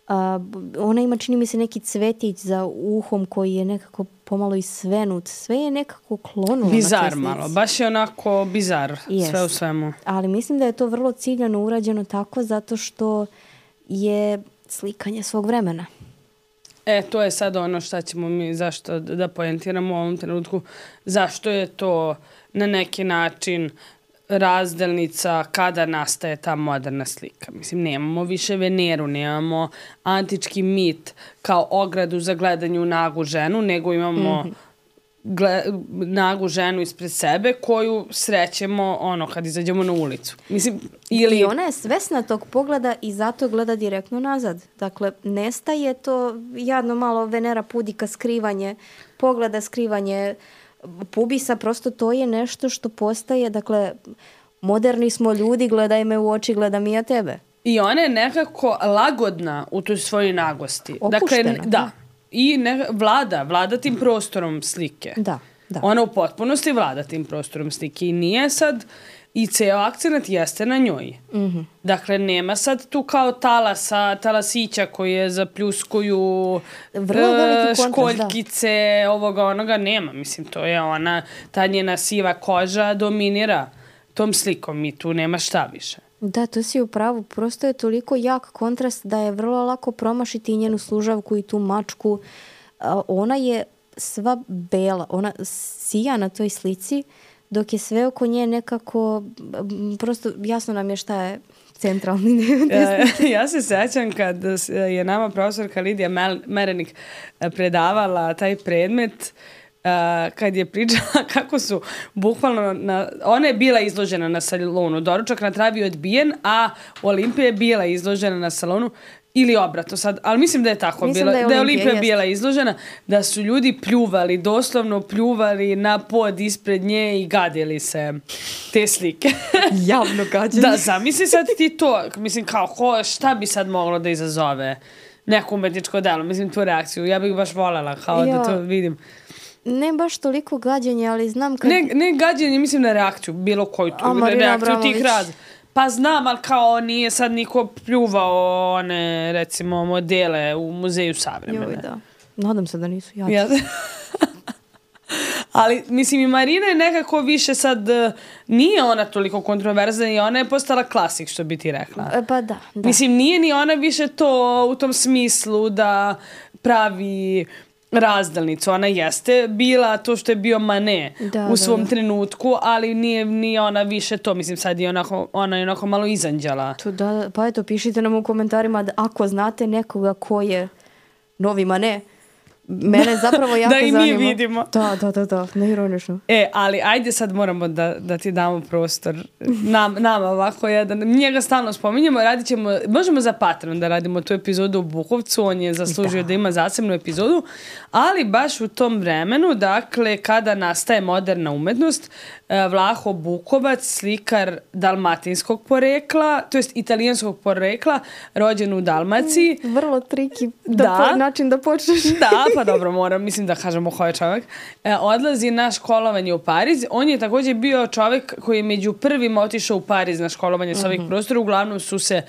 A, ona ima, čini mi se, neki cvetić za uhom koji je nekako pomalo i svenut. Sve je nekako klonulo. Bizar malo, baš je onako bizar, yes. Sve u svemu. Ali mislim da je to vrlo ciljano urađeno tako zato što je slikanje svog vremena. E, to je sad ono šta ćemo mi, zašto da poentiramo u ovom trenutku, zašto je to na neki način razdelnica kada nastaje ta moderna slika. Mislim, nemamo više Veneru, nemamo antički mit kao ogradu za gledanje u nagu ženu, nego imamo mm-hmm. gle, nagu ženu ispred sebe koju srećemo ono kad izađemo na ulicu. Mislim, ili... I ona je svesna tog pogleda i zato gleda direktno nazad. Dakle, nestaje to jadno malo Venera pudika skrivanje, pogleda skrivanje pubisa, prosto to je nešto što postaje, dakle, moderni smo ljudi, gledaj me u oči, gledam i ja tebe. I ona je nekako lagodna u toj svojoj nagosti. Opuštena. Dakle, da. I ne, vlada, vlada tim prostorom slike. Da, da. Ona u potpunosti vlada tim prostorom slike i nije sad, i ceo akcenat jeste na njoj. Mm-hmm. Dakle, nema sad tu kao talasa, talasića koji je zapljuskuju e, školjkice, da. Ovoga onoga, nema. Mislim, to je ona, ta njena siva koža dominira tom slikom i tu nema šta više. Da, to si u pravu. Prosto je toliko jak kontrast da je vrlo lako promašiti i njenu služavku i tu mačku. Ona je sva bela, ona sija na toj slici, dok je sve oko nje nekako, prosto jasno nam je šta je centralni desnici. Ja se sećam kad je nama profesorka Lidija Merenik predavala taj predmet, kad je pričala kako su bukvalno, na, ona je bila izložena na salonu, doručak na travi je odbijen, a Olimpija je bila izložena na salonu, ili obratno sad, ali mislim da je tako bilo, da je, da je Olimpija jest. Bila izložena, da su ljudi pljuvali, doslovno pljuvali na pod ispred nje i gadili se te slike. Javno gađenje. Da, zamisli sad ti to, mislim kao, ko, šta bi sad moglo da izazove neko umetničko delo, mislim tu reakciju, ja bih baš voljela kao ja. Da to vidim. Ne baš toliko gađenje, ali znam kad... Ne, ne gađenje, mislim na reakciju, bilo koju tu, A, reakciju tih raz. Pa znam, ali kao nije sad niko pljuvao one, recimo, modele u muzeju savremene. Joj, da. Nadam se da nisu jači. Ja. Ali, mislim, i Marina je nekako više sad, nije ona toliko kontroverzna i ona je postala klasik, što bi ti rekla. E, pa da, da. Mislim, nije ni ona više to u tom smislu da pravi razdelnicu. Ona jeste bila to što je bio Manet da, u svom da, da. trenutku, ali nije ni ona više to. Mislim, sad je onako, ona je onako malo izanđala. To da, pa eto, pišite nam u komentarima da ako znate nekoga ko je novi Manet, mene zapravo jako da i zanima. mi vidimo. Da, da, da, da, neironično. E, ali ajde sad moramo da, da ti damo prostor. Nam, nama ovako jedan. Njega stalno spominjemo, radit ćemo, možemo za Patreon da radimo tu epizodu u Bukovcu, on je zaslužio da, da ima zasebnu epizodu, ali baš u tom vremenu, dakle, kada nastaje moderna umetnost, Vlaho Bukovac, slikar dalmatinskog porekla, to jest italijanskog porekla, rođen u Dalmaciji. Mm, vrlo triki da, da. Po, način da počneš. Da, pa dobro, moram, mislim da kažemo ko je čovjek. E, odlazi na školovanje u Pariz. On je također bio čovjek koji je među prvim otišao u Pariz na školovanje s ovih mm-hmm. prostora. Uglavnom su se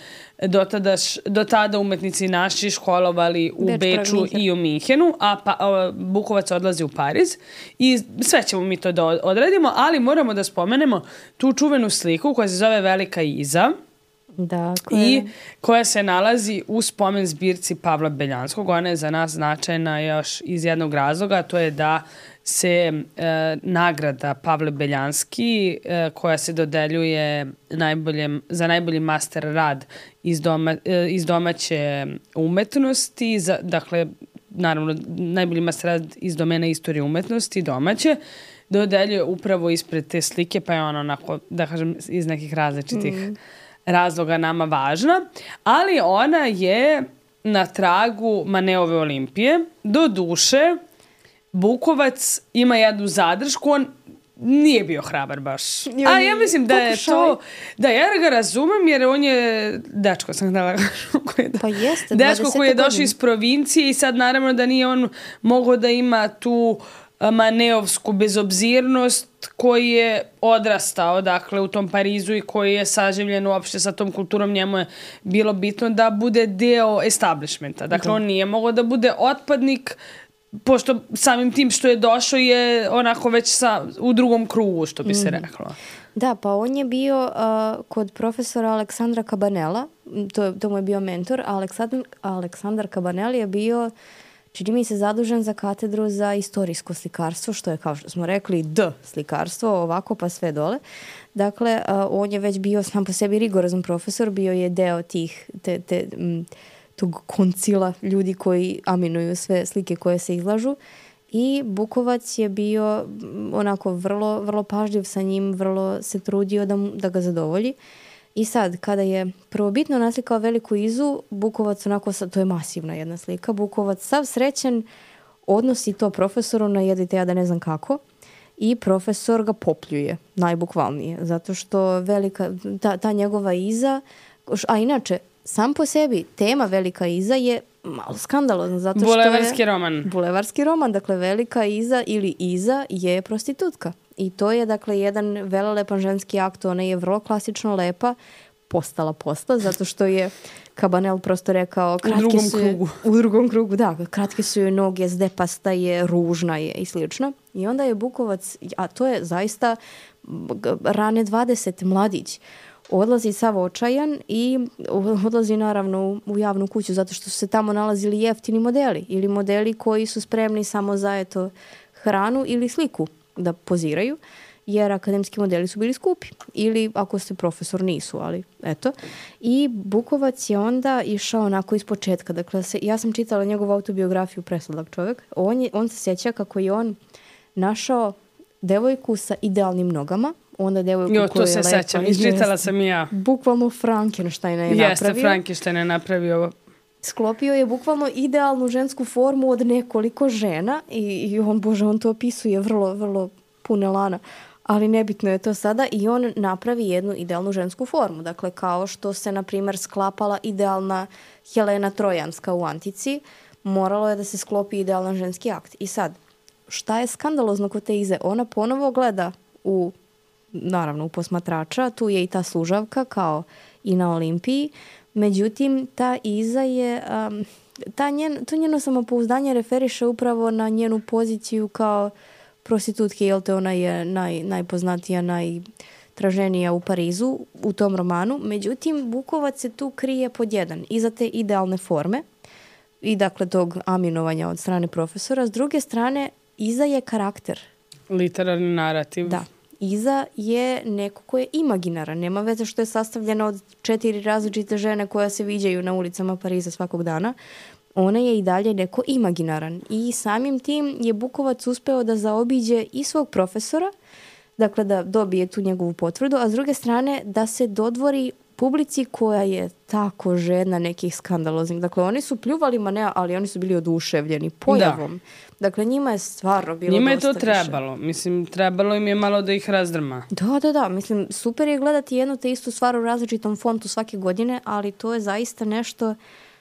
do tada, do tada umetnici naši školovali u Beč, Beču i u Minhenu, a, pa, a Bukovac odlazi u Pariz i sve ćemo mi to da odradimo, ali moramo da spomenemo tu čuvenu sliku koja se zove Velika Iza. Da, koja i koja se nalazi u spomen zbirci Pavla Beljanskog. Ona je za nas značajna još iz jednog razloga, to je da se e, nagrada Pavle Beljanski e, koja se dodeljuje najboljem, za najbolji master rad iz, doma, e, iz domaće umetnosti, za, dakle, naravno, najbolji master rad iz domena istorije umetnosti domaće, dodeljuje upravo ispred te slike, pa je ona onako, da kažem, iz nekih različitih mm. razloga nama važna, ali ona je na tragu Maneove Olimpije. Do duše, Bukovac ima jednu zadršku, on nije bio hrabar baš. Jo, a ja mislim da je pokušaj. To, da ja ga razumem jer on je dečko, sam htjela koji pa jeste, dečko koji je došao iz provincije i sad naravno da nije on mogao da ima tu maneovsku bezobzirnost koji je odrastao dakle u tom Parizu i koji je saživljen uopšte sa tom kulturom. Njemu je bilo bitno da bude deo establishmenta. Dakle, da. On nije mogao da bude otpadnik, pošto samim tim što je došao je onako već sa, u drugom krugu, što bi se reklo. Da, pa on je bio uh, kod profesora Aleksandra Cabanela, to, to mu je bio mentor, a Aleksandar, Aleksandar Cabanel je bio, čini mi se, zadužen za katedru za istorijsko slikarstvo, što je, kao što smo rekli, D slikarstvo, ovako pa sve dole. Dakle, uh, on je već bio sam po sebi rigorozan profesor, bio je deo tih, te, te, m, tog koncila ljudi koji aminuju sve slike koje se izlažu. I Bukovac je bio onako vrlo, vrlo pažljiv sa njim, vrlo se trudio da, da ga zadovolji. I sad, kada je prvobitno naslikao Veliku Izu, Bukovac onako, to je masivna jedna slika, Bukovac sav srećan odnosi to profesoru na jedite ja da ne znam kako i profesor ga popljuje, najbukvalnije, zato što velika, ta, ta njegova Iza, a inače, sam po sebi tema Velika Iza je malo skandalozno, zato što bulevarski je roman. Bulevarski roman, dakle Velika Iza ili Iza je prostitutka. I to je dakle jedan velelepan ženski akt, ona je vrlo klasično lepa, postala posla, zato što je Cabanel prosto rekao kratke u drugom su krugu. U drugom krugu, da, kratke su joj noge, zdepasta je, ružna je i slično. I onda je Bukovac, a to je zaista rane dvadesete mladić, odlazi sav očajan i odlazi naravno u javnu kuću zato što su se tamo nalazili jeftini modeli ili modeli koji su spremni samo za eto hranu ili sliku da poziraju, jer akademski modeli su bili skupi ili ako ste profesor nisu, ali eto. I Bukovac je onda išao onako iz početka. Dakle, se, ja sam čitala njegovu autobiografiju, presladak čovjek. On, je, on se sjeća kako je on našao devojku sa idealnim nogama, onda devojku jo, koja je lepa. Jo, to se sećam, izčitala sam i ja. Bukvalno Frankensteina je napravio. Jeste, Frankenstein je napravio. Sklopio je bukvalno idealnu žensku formu od nekoliko žena i, i on, bože, on to opisuje vrlo, vrlo pune lana. Ali nebitno je to sada i on napravi jednu idealnu žensku formu. Dakle, kao što se, na primjer, sklapala idealna Helena Trojanska u Antici, moralo je da se sklopi idealan ženski akt. I sad, šta je skandalozno kod te Ize? Ona ponovo gleda u, naravno, u posmatrača, tu je i ta služavka kao i na Olimpiji, međutim, ta Iza je, um, ta njen, to njeno samopouzdanje referiše upravo na njenu poziciju kao prostitutke, jel te ona je naj, najpoznatija, najtraženija u Parizu u tom romanu. Međutim, Bukovac se tu krije pod jedan, iza te idealne forme i dakle tog aminovanja od strane profesora. S druge strane, Iza je karakter. Literarni narativ. Da. Iza je neko ko je imaginaran. Nema veze što je sastavljena od četiri različite žene koje se viđaju na ulicama Pariza svakog dana. Ona je i dalje neko imaginaran. I samim tim je Bukovac uspeo da zaobiđe i svog profesora, dakle da dobije tu njegovu potvrdu, a s druge strane da se dodvori publici koja je tako žedna nekih skandaloznih. Dakle, oni su pljuvali Manea, ali oni su bili oduševljeni pojavom. Da. Dakle, njima je stvarno bilo njima dosta je to trebalo. Više. Mislim, trebalo im je malo da ih razdrma. Da, da, da. Mislim, super je gledati jednu te istu stvar u različitom fontu svake godine, ali to je zaista nešto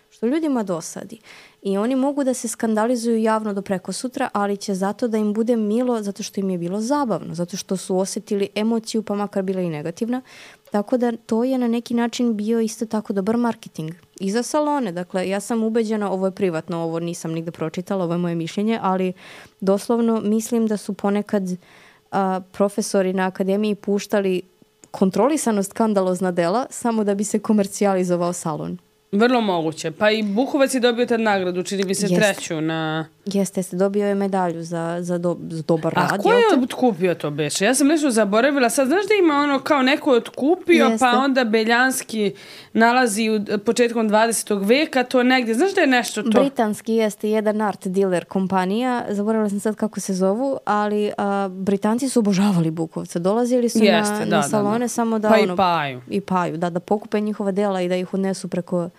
što ljudima dosadi. I oni mogu da se skandalizuju javno do preko sutra, ali će zato da im bude milo, zato što im je bilo zabavno, zato što su osjetili emociju, pa makar bila i negativna. Tako da to je na neki način bio isto tako dobar marketing. I za salone, dakle, ja sam ubeđena, ovo je privatno, ovo nisam nigde pročitala, ovo je moje mišljenje, ali doslovno mislim da su ponekad a, profesori na akademiji puštali kontrolisano skandalozna dela samo da bi se komercijalizovao salon. Vrlo moguće. Pa i Bukovac je dobio tad nagradu, čini mi se Jest. treću na... Jeste, jeste, dobio je medalju za, za, do, za dobar A rad. A ko je otkupio to beše? Ja sam nešto zaboravila. Sad znaš da ima ono kao neko je otkupio, jeste. Pa onda Beljanski nalazi u početkom dvadesetog veka to negdje. Znaš da je nešto to? Britanski jeste jedan art dealer kompanija. Zaboravila sam sad kako se zovu, ali a, Britanci su obožavali Bukovca. Dolazili su jeste, na, da, na salone da, da. samo da... Pa ono, i paju. I paju, da, da pokupe njihova dela i da ih odnesu preko...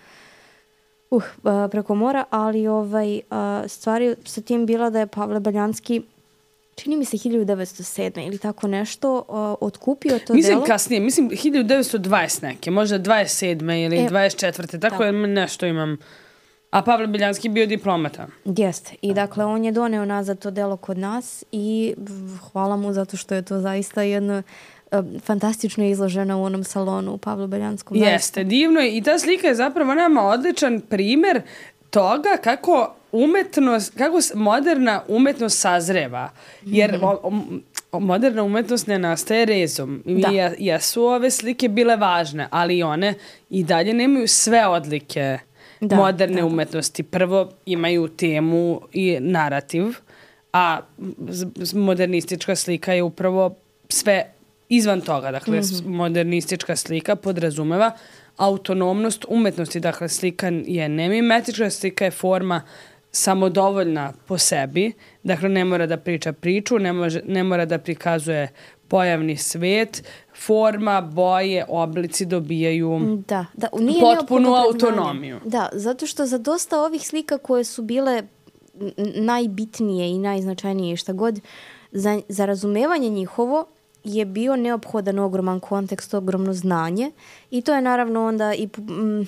Uh, preko mora, ali ovaj, stvari sa tim bila da je Pavle Beljanski, čini mi se hiljadu devetsto sedme ili tako nešto, otkupio to mislim delo. Mislim kasnije, mislim hiljadu devetsto dvadeset neke, možda dvadeset sedme ili e, dvadeset četvrte, tako da. Je nešto imam A Pavle Beljanski bio diplomata. Jeste. I dakle, on je doneo nazad to delo kod nas i hvala mu zato što je to zaista jedno uh, fantastično izloženo u onom salonu u Pavlu Beljanskom. Jeste, divno je. I ta slika je zapravo nama odličan primer toga kako umetnost, kako moderna umetnost sazreva. Jer mm-hmm. o, o, moderna umetnost ne nastaje rezom. I da. jesu ove slike bile važne, ali one i dalje nemaju sve odlike da, moderne da, umetnosti. Prvo imaju temu i narativ, a modernistička slika je upravo sve izvan toga. Dakle, mm-hmm. modernistička slika podrazumeva autonomnost umetnosti. Dakle, slika je nemimetička, slika je forma samodovoljna po sebi. Dakle, ne mora da priča priču, ne, može, ne mora da prikazuje pojavni svet. Forma, boje, oblici dobijaju da, da, nije potpunu autonomiju. Da, zato što za dosta ovih slika koje su bile najbitnije i najznačajnije šta god, za, za razumevanje njihovo je bio neophodan ogroman kontekst, ogromno znanje i to je naravno onda i m,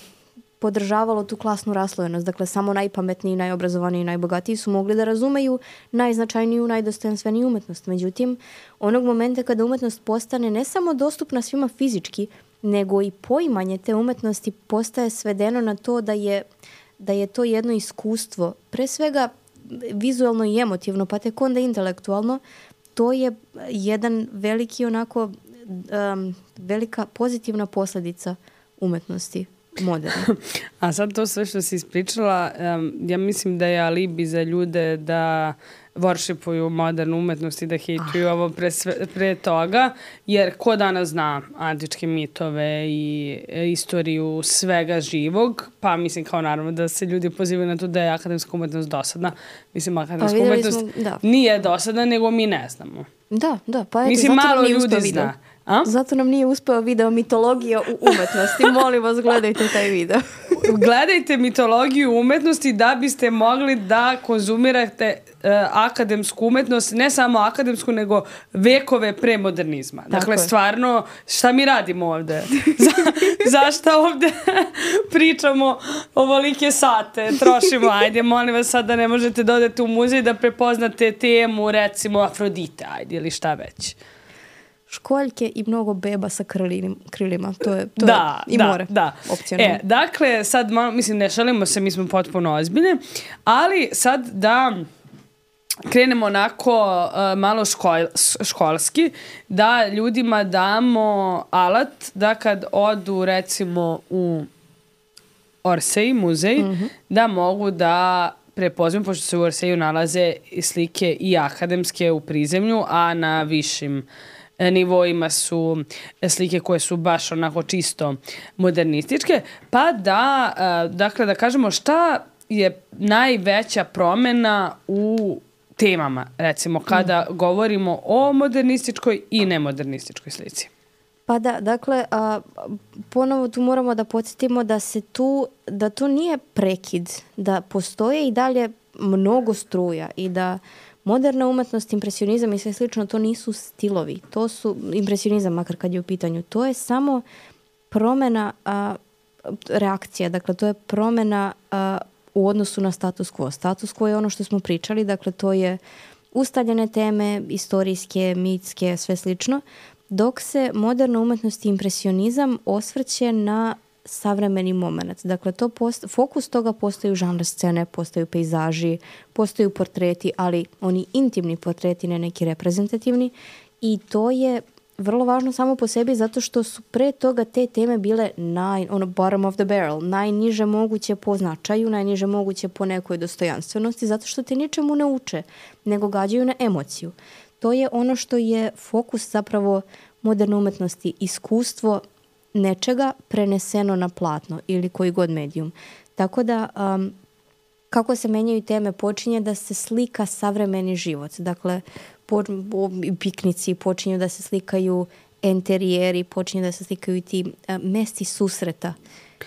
podržavalo tu klasnu raslojenost. Dakle, samo najpametniji, najobrazovaniji i najbogatiji su mogli da razumeju najznačajniju, najdostojanstveniju umetnost. Međutim, onog momenta kada umetnost postane ne samo dostupna svima fizički, nego i poimanje te umetnosti postaje svedeno na to da je, da je to jedno iskustvo, pre svega vizualno i emotivno, pa tek onda intelektualno. To je jedan veliki onako um, velika pozitivna posljedica umetnosti moderne. A sad to sve što si ispričala, um, ja mislim da je alibi za ljude da worshipuju modernu umetnost i da hejtuju ah. ovo pre, sve, pre toga, jer ko danas zna antičke mitove i e, istoriju svega živog, pa mislim kao naravno da se ljudi pozivaju na to da je akademska umetnost dosadna. Mislim, akademska pa, umetnost smo, nije dosadna, nego mi ne znamo. Da, da, pa eto, mislim, malo ljudi zna. A? Zato nam nije uspeo video mitologija u umetnosti. Molim vas, gledajte taj video. Gledajte mitologiju umetnosti da biste mogli da konzumirate uh, akademsku umetnost, ne samo akademsku, nego vekove pre modernizma. Tako dakle, je. Stvarno, šta mi radimo ovde? Za, zašta ovde pričamo ovolike sate, trošimo? Ajde, molim vas sad da ne možete da odete u muzej da prepoznate temu, recimo Afrodite, ajde, ili šta već. Školjke i mnogo beba sa krlinim, krilima. To je, to da, je i da, more. Da. E, dakle, sad malo, mislim, ne šalimo se, mi smo potpuno ozbiljni, ali sad da krenemo onako uh, malo škol, školski, da ljudima damo alat da kad odu, recimo, u Orsay, muzej, mm-hmm. da mogu da prepoznam, pošto se u Orsayu nalaze slike i akademske u prizemlju, a na višim nivoima su slike koje su baš onako čisto modernističke, pa da, dakle, da kažemo šta je najveća promena u temama, recimo, kada mm. govorimo o modernističkoj i nemodernističkoj slici. Pa da, dakle, a, ponovo tu moramo da podsjetimo da se tu, da to nije prekid, da postoje i dalje mnogo struja i da moderna umetnost, impresionizam i sve slično, to nisu stilovi. To su, impresionizam makar kad je u pitanju, to je samo promjena a, reakcija. Dakle, to je promjena a, u odnosu na status quo. Status quo je ono što smo pričali, dakle, to je ustaljene teme, istorijske, mitske, sve slično, dok se moderna umetnost i impresionizam osvrće na savremeni moment. Dakle, to post, fokus toga postaju žanr scene, postaju pejzaži, postaju portreti, ali oni intimni portreti, ne neki reprezentativni. I to je vrlo važno samo po sebi zato što su pre toga te teme bile naj, ono, bottom of the barrel, najniže moguće po značaju, najniže moguće po nekoj dostojanstvenosti, zato što te ničemu ne uče, nego gađaju na emociju. To je ono što je fokus zapravo moderne umetnosti, iskustvo nečega preneseno na platno ili koji god medijum. Tako da, um, kako se menjaju teme, počinje da se slika savremeni život. Dakle, po, po, piknici, počinju da se slikaju enterijeri, počinju da se slikaju i ti uh, mesti susreta.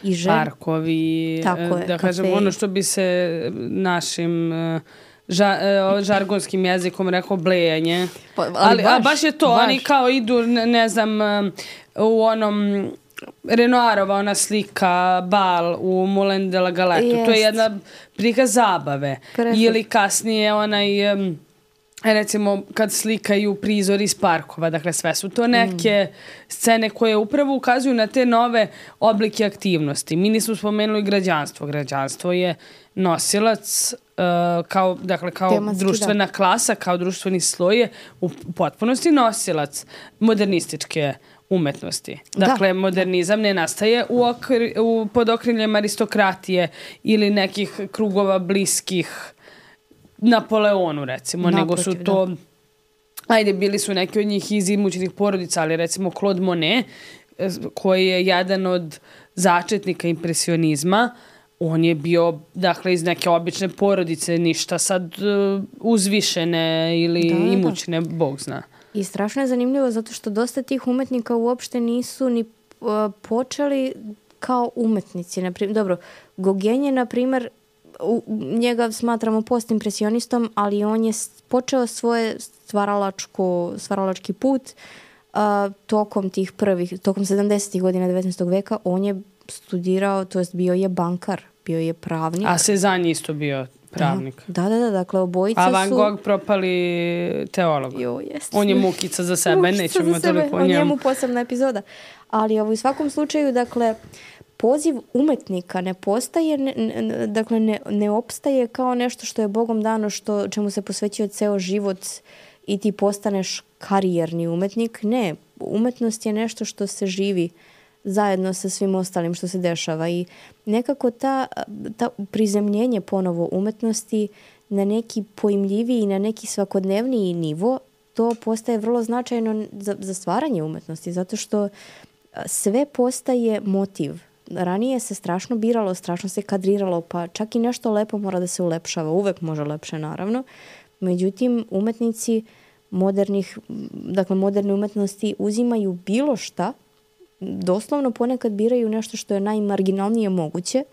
I žen... Parkovi, Tako je, da kažem, ono što bi se našim... Uh, Ža, žargonskim jezikom rekao blejanje. Pa, ali ali baš, a baš je to, baš. Oni kao idu, ne, ne znam, u onom Renoirova ona slika Bal u Moulin de la Galette. Jest. To je jedna prikaz zabave. Perfect. Ili kasnije onaj... Um, recimo kad slikaju prizor iz parkova, dakle sve su to neke mm. scene koje upravo ukazuju na te nove oblike aktivnosti. Mi nismo spomenuli građanstvo. Građanstvo je nosilac uh, kao, dakle, kao Tematski, društvena da. klasa, kao društveni sloj je u potpunosti nosilac modernističke umetnosti. Dakle, da. modernizam ne nastaje u, okri, u pod okriljem aristokratije ili nekih krugova bliskih Napoleonu, recimo, Naprotiv, nego su to, da. ajde, bili su neki od njih iz imućnih porodica, ali recimo Claude Monet, koji je jedan od začetnika impresionizma, on je bio, dakle, iz neke obične porodice, ništa sad uh, uzvišene ili da, da, imućne, Bog zna. I strašno je zanimljivo zato što dosta tih umetnika uopšte nisu ni uh, počeli kao umetnici. Naprim, dobro, Gauguin je, na primjer, U, njega smatramo postimpresionistom, ali on je počeo svoje stvaralačko, stvaralački put uh, tokom tih prvih, tokom sedamdesetih godina devetnaestog veka. On je studirao, to jest bio je bankar, bio je pravnik. A Cezanne isto bio pravnik. Da, da, da, dakle obojica A Van su... Gogh propali teolog. Jo, jest. On je mukica za sebe, Mukica nećemo za sebe, toliko o o njemu. njemu posebna epizoda. Ali ovo, u svakom slučaju, dakle, poziv umetnika ne postaje, ne, ne, dakle ne, ne opstaje kao nešto što je Bogom dano, što, čemu se posvećuje ceo život i ti postaneš karijerni umetnik. Ne, umetnost je nešto što se živi zajedno sa svim ostalim što se dešava i nekako ta, ta prizemljenje ponovo umetnosti na neki pojmljiviji, na neki svakodnevniji nivo, to postaje vrlo značajno za, za stvaranje umetnosti, zato što sve postaje motiv. Ranije se strašno biralo, strašno se kadriralo, pa čak i nešto lepo mora da se ulepšava. Uvek može lepše, naravno. Međutim, umetnici modernih, dakle moderne umetnosti uzimaju bilo šta, doslovno ponekad biraju nešto što je najmarginalnije moguće.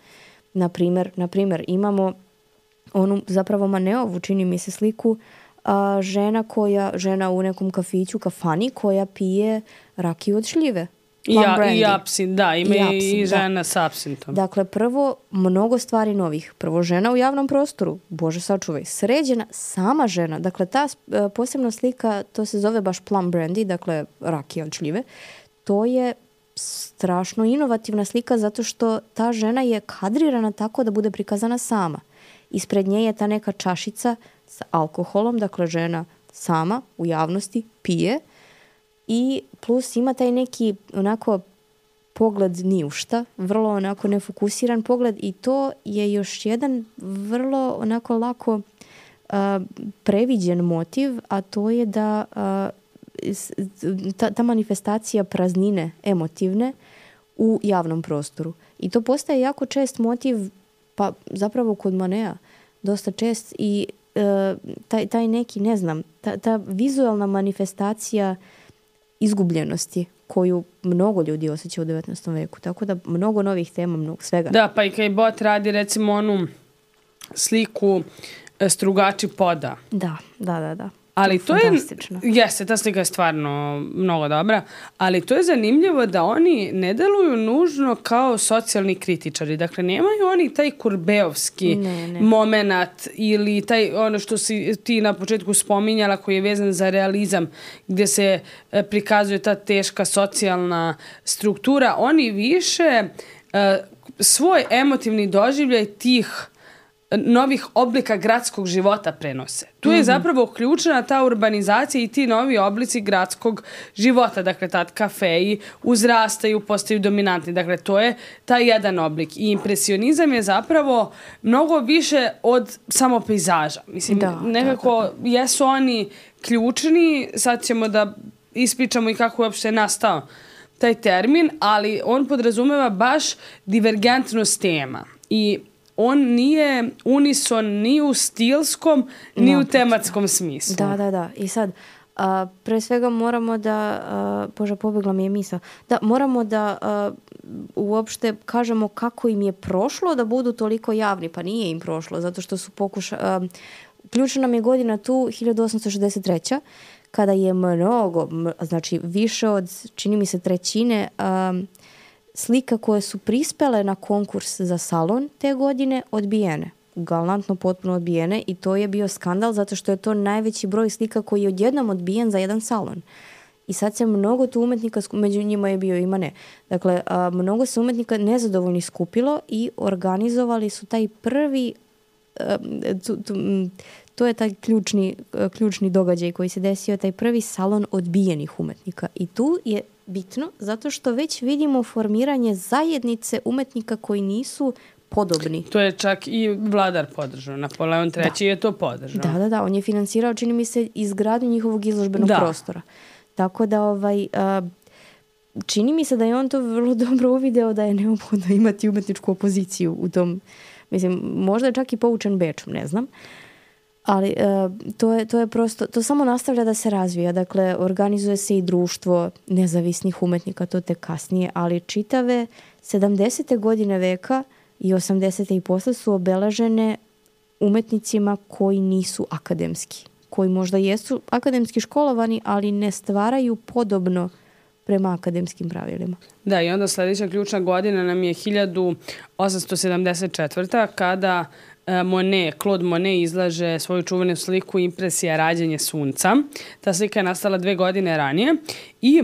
Naprimjer, naprimjer imamo onu zapravo Maneovu, čini mi se sliku, a, žena koja, žena u nekom kafiću, kafani, koja pije rakiju od šljive. I, ja, i apsint, da, ima i, apsint, i žena da. s apsintom. Dakle, prvo, mnogo stvari novih. Prvo, žena u javnom prostoru. Bože sačuvaj. Sređena sama žena. Dakle, ta uh, posebna slika, to se zove baš plum brandy, dakle, rakija od šljive. To je strašno inovativna slika zato što ta žena je kadrirana tako da bude prikazana sama. Ispred nje je ta neka čašica sa alkoholom, dakle, žena sama u javnosti pije. I plus ima taj neki onako pogled ni u šta, vrlo onako nefokusiran pogled i to je još jedan vrlo onako lako uh, previđen motiv, a to je da uh, ta, ta manifestacija praznine emotivne u javnom prostoru. I to postaje jako čest motiv, pa zapravo kod Moneta dosta čest i uh, taj, taj neki, ne znam, ta, ta vizualna manifestacija izgubljenosti koju mnogo ljudi osjeća u devetnaestom veku. Tako da mnogo novih tema, mnogo svega. Da, pa i kaj Bot radi recimo onu sliku strugači poda. Da, da, da, da. Ali to, to je, jeste, ta slika je stvarno mnogo dobra, ali to je zanimljivo da oni ne deluju nužno kao socijalni kritičari. Dakle, nemaju oni taj kurbeovski ne, ne. moment ili taj, ono što si ti na početku spominjala koji je vezan za realizam, gdje se prikazuje ta teška socijalna struktura. Oni više uh, svoj emotivni doživljaj tih novih oblika gradskog života prenose. Tu je mm-hmm. zapravo ključna ta urbanizacija i ti novi oblici gradskog života. Dakle, tad kafeji uzrastaju, postaju dominantni. Dakle, to je taj jedan oblik. I impresionizam je zapravo mnogo više od samo pejzaža. Mislim, da, nekako da, da. jesu oni ključni. Sad ćemo da ispričamo i kako je uopšte nastao taj termin, ali on podrazumeva baš divergentnost tema. I on nije unison ni u stilskom, ni no, u tematskom smislu. Da, da, da. I sad, a, pre svega moramo da, a, Bože, pobegla mi je misao, da moramo da a, uopšte kažemo kako im je prošlo da budu toliko javni. Pa nije im prošlo, zato što su pokušali... Ključna nam je godina tu, hiljadu osamsto šezdeset treća kada je mnogo, znači više od, čini mi se, trećine... A, slika koje su prispele na konkurs za salon te godine odbijene. Galantno potpuno odbijene i to je bio skandal zato što je to najveći broj slika koji je odjednom odbijen za jedan salon. I sad se mnogo tu umetnika, među njima je bio i Manet. Dakle, a, mnogo se umetnika nezadovoljni skupilo i organizovali su taj prvi, a, tu, tu, to je taj ključni, ključni događaj koji se desio, taj prvi salon odbijenih umetnika. I tu je bitno zato što već vidimo formiranje zajednice umetnika koji nisu podobni. To je čak i vladar podržao. Napoleon treći je to podržao. Da, da, da. On je finansirao, čini mi se, izgradnju njihovog izložbenog da. prostora. Tako da, ovaj, a, čini mi se da je on to vrlo dobro uvideo da je neophodno imati umetničku opoziciju u tom, mislim, možda je čak i poučen Bečom, ne znam. Ali a, to, je, to je prosto, to samo nastavlja da se razvija. Dakle, organizuje se i društvo nezavisnih umetnika, to tek kasnije, ali čitave sedamdesete godine veka i osamdesete i posle su obeležene umetnicima koji nisu akademski, koji možda jesu akademski školovani, ali ne stvaraju podobno prema akademskim pravilima. Da, i onda sljedeća ključna godina nam je hiljadu osamsto sedamdeset četvrta kada Monet, Claude Monet izlaže svoju čuvenu sliku Impresija rađanje sunca. Ta slika je nastala dve godine ranije i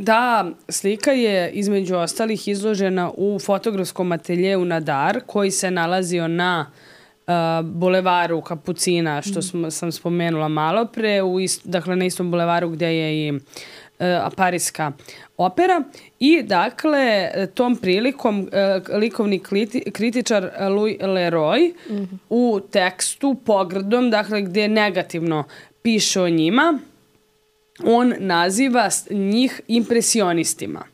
ta slika je između ostalih izložena u fotografskom ateljeu Nadar koji se nalazio na uh, bulevaru Kapucina, što smo, sam spomenula malo pre, u ist, dakle na istom bulevaru gdje je i uh, Pariska opera. I dakle, tom prilikom uh, likovni kliti, kritičar Louis Leroy mm-hmm. u tekstu pogrdom, dakle gdje negativno piše o njima, on naziva njih impresionistima.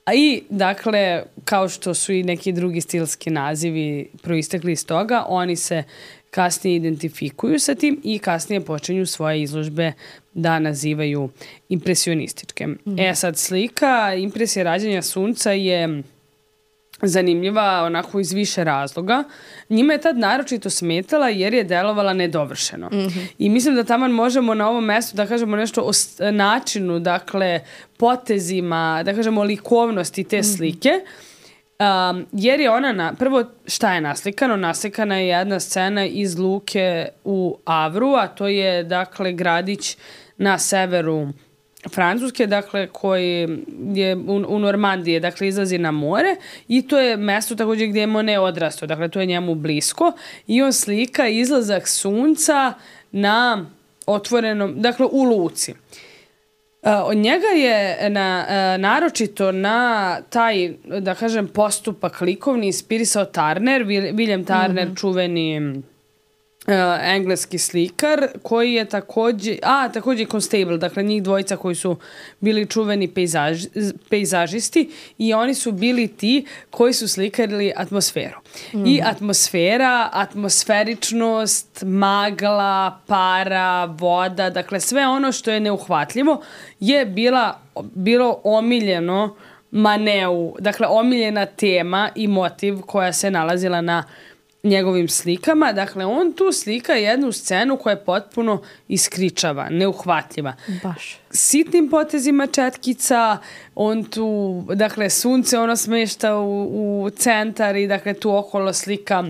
A i, dakle, kao što su i neki drugi stilski nazivi proistekli iz toga, oni se kasnije identifikuju sa tim i kasnije počinju svoje izložbe da nazivaju impresionističke. Mm. E sad, slika Impresija rađanja sunca je zanimljiva onako iz više razloga. Njima je tad naročito smetala jer je delovala nedovršeno. Mm-hmm. I mislim da taman možemo na ovom mjestu da kažemo nešto o načinu, dakle, potezima, da kažemo likovnosti te slike. Um, jer je ona, na, prvo šta je naslikano? Naslikana je jedna scena iz luke u Avru, a to je, dakle, gradić na severu Francuske, dakle, koji je u, u Normandije, dakle, izlazi na more i to je mjesto također gdje je Monet odrastao, dakle, to je njemu blisko i on slika izlazak sunca na otvorenom, dakle, u luci. Uh, od njega je na, uh, naročito na taj, da kažem, postupak likovni inspirisao Turner, William Turner, mm-hmm. čuveni Uh, engleski slikar koji je također, a također Constable, dakle njih dvojica koji su bili čuveni pejzaž, pejzažisti i oni su bili ti koji su slikarili atmosferu. Mm. I atmosfera, atmosferičnost, magla, para, voda, dakle sve ono što je neuhvatljivo je bila, bilo omiljeno Maneu, dakle omiljena tema i motiv koja se nalazila na njegovim slikama. Dakle, on tu slika jednu scenu koja je potpuno iskričava, neuhvatljiva. Baš. Sitnim potezima četkica, on tu, dakle, sunce ono smešta u, u centar i dakle tu okolo slika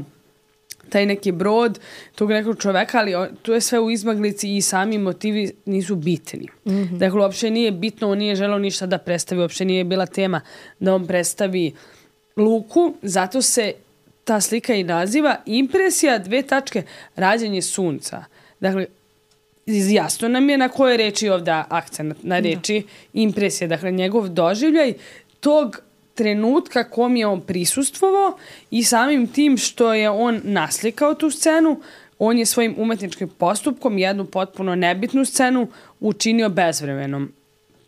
taj neki brod tog nekog čoveka, ali on, tu je sve u izmaglici i sami motivi nisu bitni. Mm-hmm. Dakle, uopšte nije bitno, on nije želeo ništa da predstavi, uopšte nije bila tema da on predstavi luku, zato se ta slika i naziva Impresija dve tačke rađanje sunca. Dakle, jasno nam je na koje reči ovdje akcent, na reči da. Impresija. Dakle, njegov doživljaj tog trenutka kom je on prisustvovao i samim tim što je on naslikao tu scenu, on je svojim umetničkim postupkom jednu potpuno nebitnu scenu učinio bezvremenom.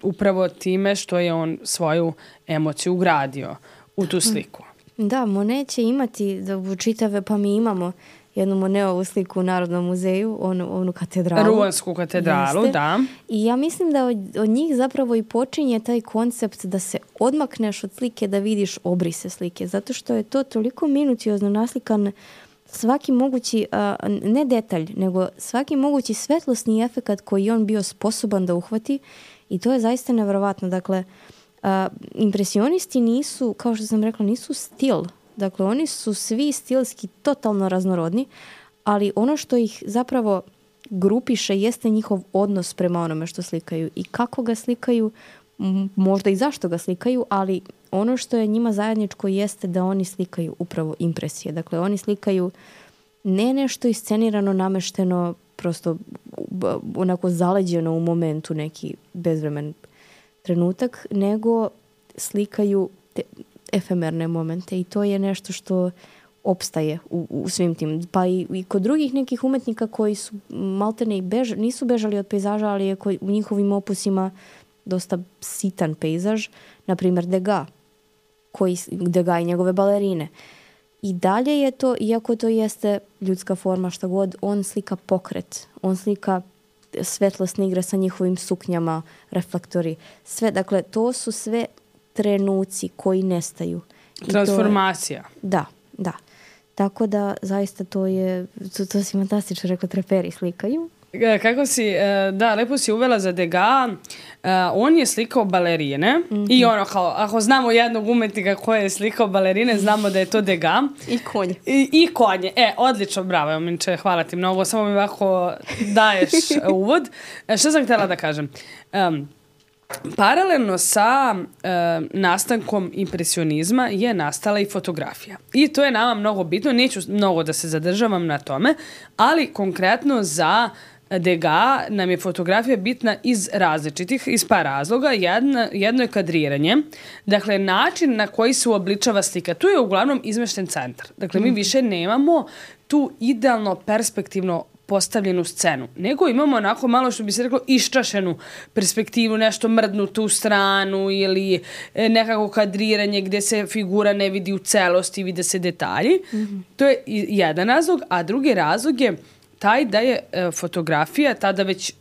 Upravo time što je on svoju emociju ugradio u tu sliku. Da, Monet će imati da čitave, pa mi imamo jednu Monetovu sliku u Narodnom muzeju, onu, onu katedralu. Ruansku katedralu, jeste. Da. I ja mislim da od, od njih zapravo i počinje taj koncept da se odmakneš od slike, da vidiš obrise slike, zato što je to toliko minuciozno naslikan svaki mogući, a, ne detalj, nego svaki mogući svetlosni efekat koji on bio sposoban da uhvati i to je zaista nevjerovatno. Dakle, Uh, impresionisti nisu, kao što sam rekla, nisu stil. Dakle, oni su svi stilski totalno raznorodni, ali ono što ih zapravo grupiše jeste njihov odnos prema onome što slikaju i kako ga slikaju, m- možda i zašto ga slikaju, ali ono što je njima zajedničko jeste da oni slikaju upravo impresije. Dakle, oni slikaju ne nešto iscenirano, namešteno, prosto onako zaleđeno u momentu, neki bezvremen trenutak, nego slikaju te efemerne momente i to je nešto što opstaje u, u svim tim. Pa i, i kod drugih nekih umetnika koji su maltene i bež, nisu bežali od pejzaža, ali je koji, u njihovim opusima dosta sitan pejzaž, na primjer Degas, koji, Degas i njegove balerine. I dalje je to, iako to jeste ljudska forma, šta god, on slika pokret, on slika svetlosne igre sa njihovim suknjama, reflektori, sve, dakle, to su sve trenuci koji nestaju. Transformacija. Je, da, da. Tako da, zaista to je, to, to si fantastično rekla, treperi slikaju. Kako si, da, lepo si uvela za Degas, on je slikao balerine mm-hmm. i ono kao, ako znamo jednog umetnika koji je slikao balerine, znamo da je to Degas. I konje. I, i konje. E, odlično, bravo, Jominče, hvala ti mnogo, samo mi ovako daješ uvod. Što sam htjela da kažem? Um, Paralelno sa e, nastankom impresionizma je nastala i fotografija. I to je nama mnogo bitno, neću mnogo da se zadržavam na tome, ali konkretno za Degas nam je fotografija bitna iz različitih, iz par razloga. Jedna, jedno je kadriranje, dakle način na koji se uobličava slika. Tu je uglavnom izmešten centar. Dakle, mi više nemamo tu idealno perspektivno postavljenu scenu, nego imamo onako malo, što bi se reklo, iščašenu perspektivu, nešto mrdnutu u stranu ili nekako kadriranje gdje se figura ne vidi u celosti, vide se detalji. Mm-hmm. To je jedan razlog, a drugi razlog je taj da je e, fotografija tada već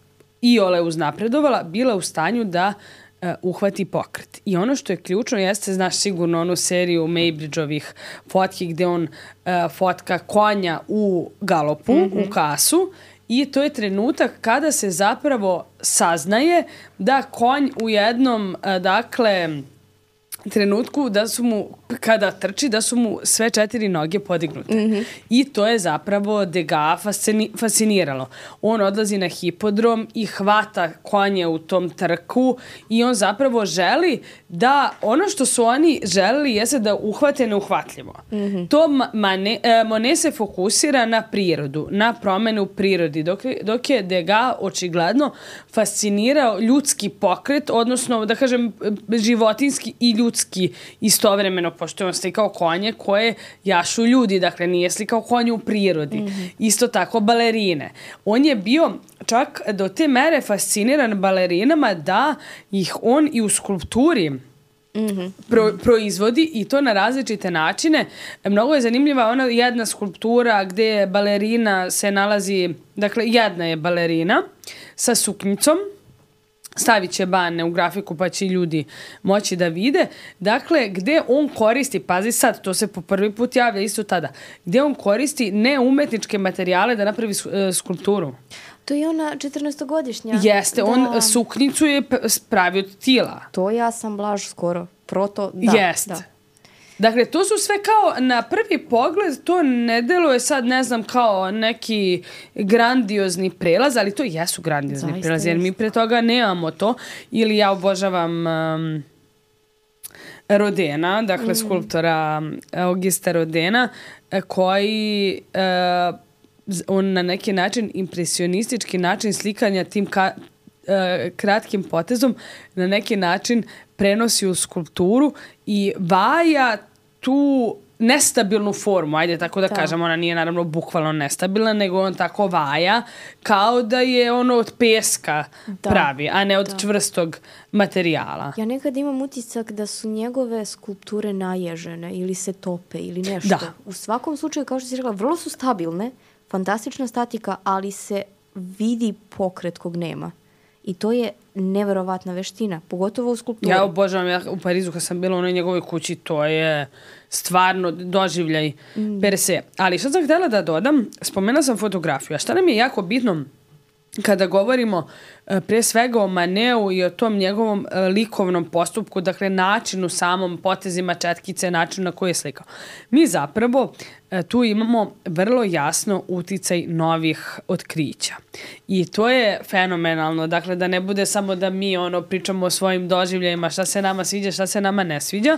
iole uznapredovala, bila u stanju da e, uhvati pokret. I ono što je ključno jeste, znaš sigurno onu seriju Maybridgeovih fotki gdje on e, fotka konja u galopu, mm-hmm. u kasu, i to je trenutak kada se zapravo saznaje da konj u jednom, e, dakle, trenutku da su mu, kada trči, da su mu sve četiri noge podignute. Mm-hmm. I to je zapravo Degas fascini, fasciniralo. On odlazi na hipodrom i hvata konje u tom trku i on zapravo želi da ono što su oni želeli jeste da uhvate neuhvatljivo. Mm-hmm. To Mane, Monet se fokusira na prirodu, na promene u prirodi, dok, dok je Degas očigledno fascinirao ljudski pokret, odnosno, da kažem, životinski i ljudski istovremeno, pošto je on slikao konje koje jašu ljudi, dakle nije slikao konje u prirodi. Mm-hmm. Isto tako balerine. On je bio čak do te mere fasciniran balerinama da ih on i u skulpturi mm-hmm. pro, proizvodi i to na različite načine. Mnogo je zanimljiva ona jedna skulptura gdje balerina se nalazi, dakle jedna je balerina sa suknjicom, stavit će bane u grafiku pa će ljudi moći da vide. Dakle, gde on koristi, pazi sad, to se po prvi put javlja isto tada, gde on koristi neumetničke materijale da napravi skulpturu. To je ona četrnaestogodišnja. Jeste, da. On suknicu je pravi od tila. To ja sam Blaž skoro. Proto, da. Jeste. Da. Dakle, to su sve kao, na prvi pogled, to ne deluje sad, ne znam, kao neki grandiozni prelaz, ali to jesu grandiozni Zaista prelaz, jer mi pre toga nemamo to. Ili ja obožavam um, Rodena, dakle, mm. skulptora Augusta Rodena, koji uh, on na neki način, impresionistički način slikanja tim ka, uh, kratkim potezom, na neki način prenosi u skulpturu i vaja tu nestabilnu formu, ajde tako da, da. kažem, ona nije naravno bukvalno nestabilna, nego on tako vaja kao da je ono od peska da. pravi, a ne od da. čvrstog materijala. Ja nekad imam utisak da su njegove skulpture naježene ili se tope ili nešto. Da. U svakom slučaju, kao što si rekla, vrlo su stabilne, fantastična statika, ali se vidi pokret kog nema. I to je neverovatna veština, pogotovo u skulpturi. Ja obožavam, ja u Parizu kad sam bila u onoj njegovoj kući, to je stvarno doživljaj mm. per se. Ali što sam htjela da dodam, spomenula sam fotografiju. A šta nam je jako bitno kada govorimo pre svega o Maneu i o tom njegovom likovnom postupku, dakle načinu samom, potezima četkice, načinu na koji je slikao. Mi zapravo tu imamo vrlo jasno uticaj novih otkrića. I to je fenomenalno, dakle da ne bude samo da mi ono pričamo o svojim doživljajima, šta se nama sviđa, šta se nama ne sviđa,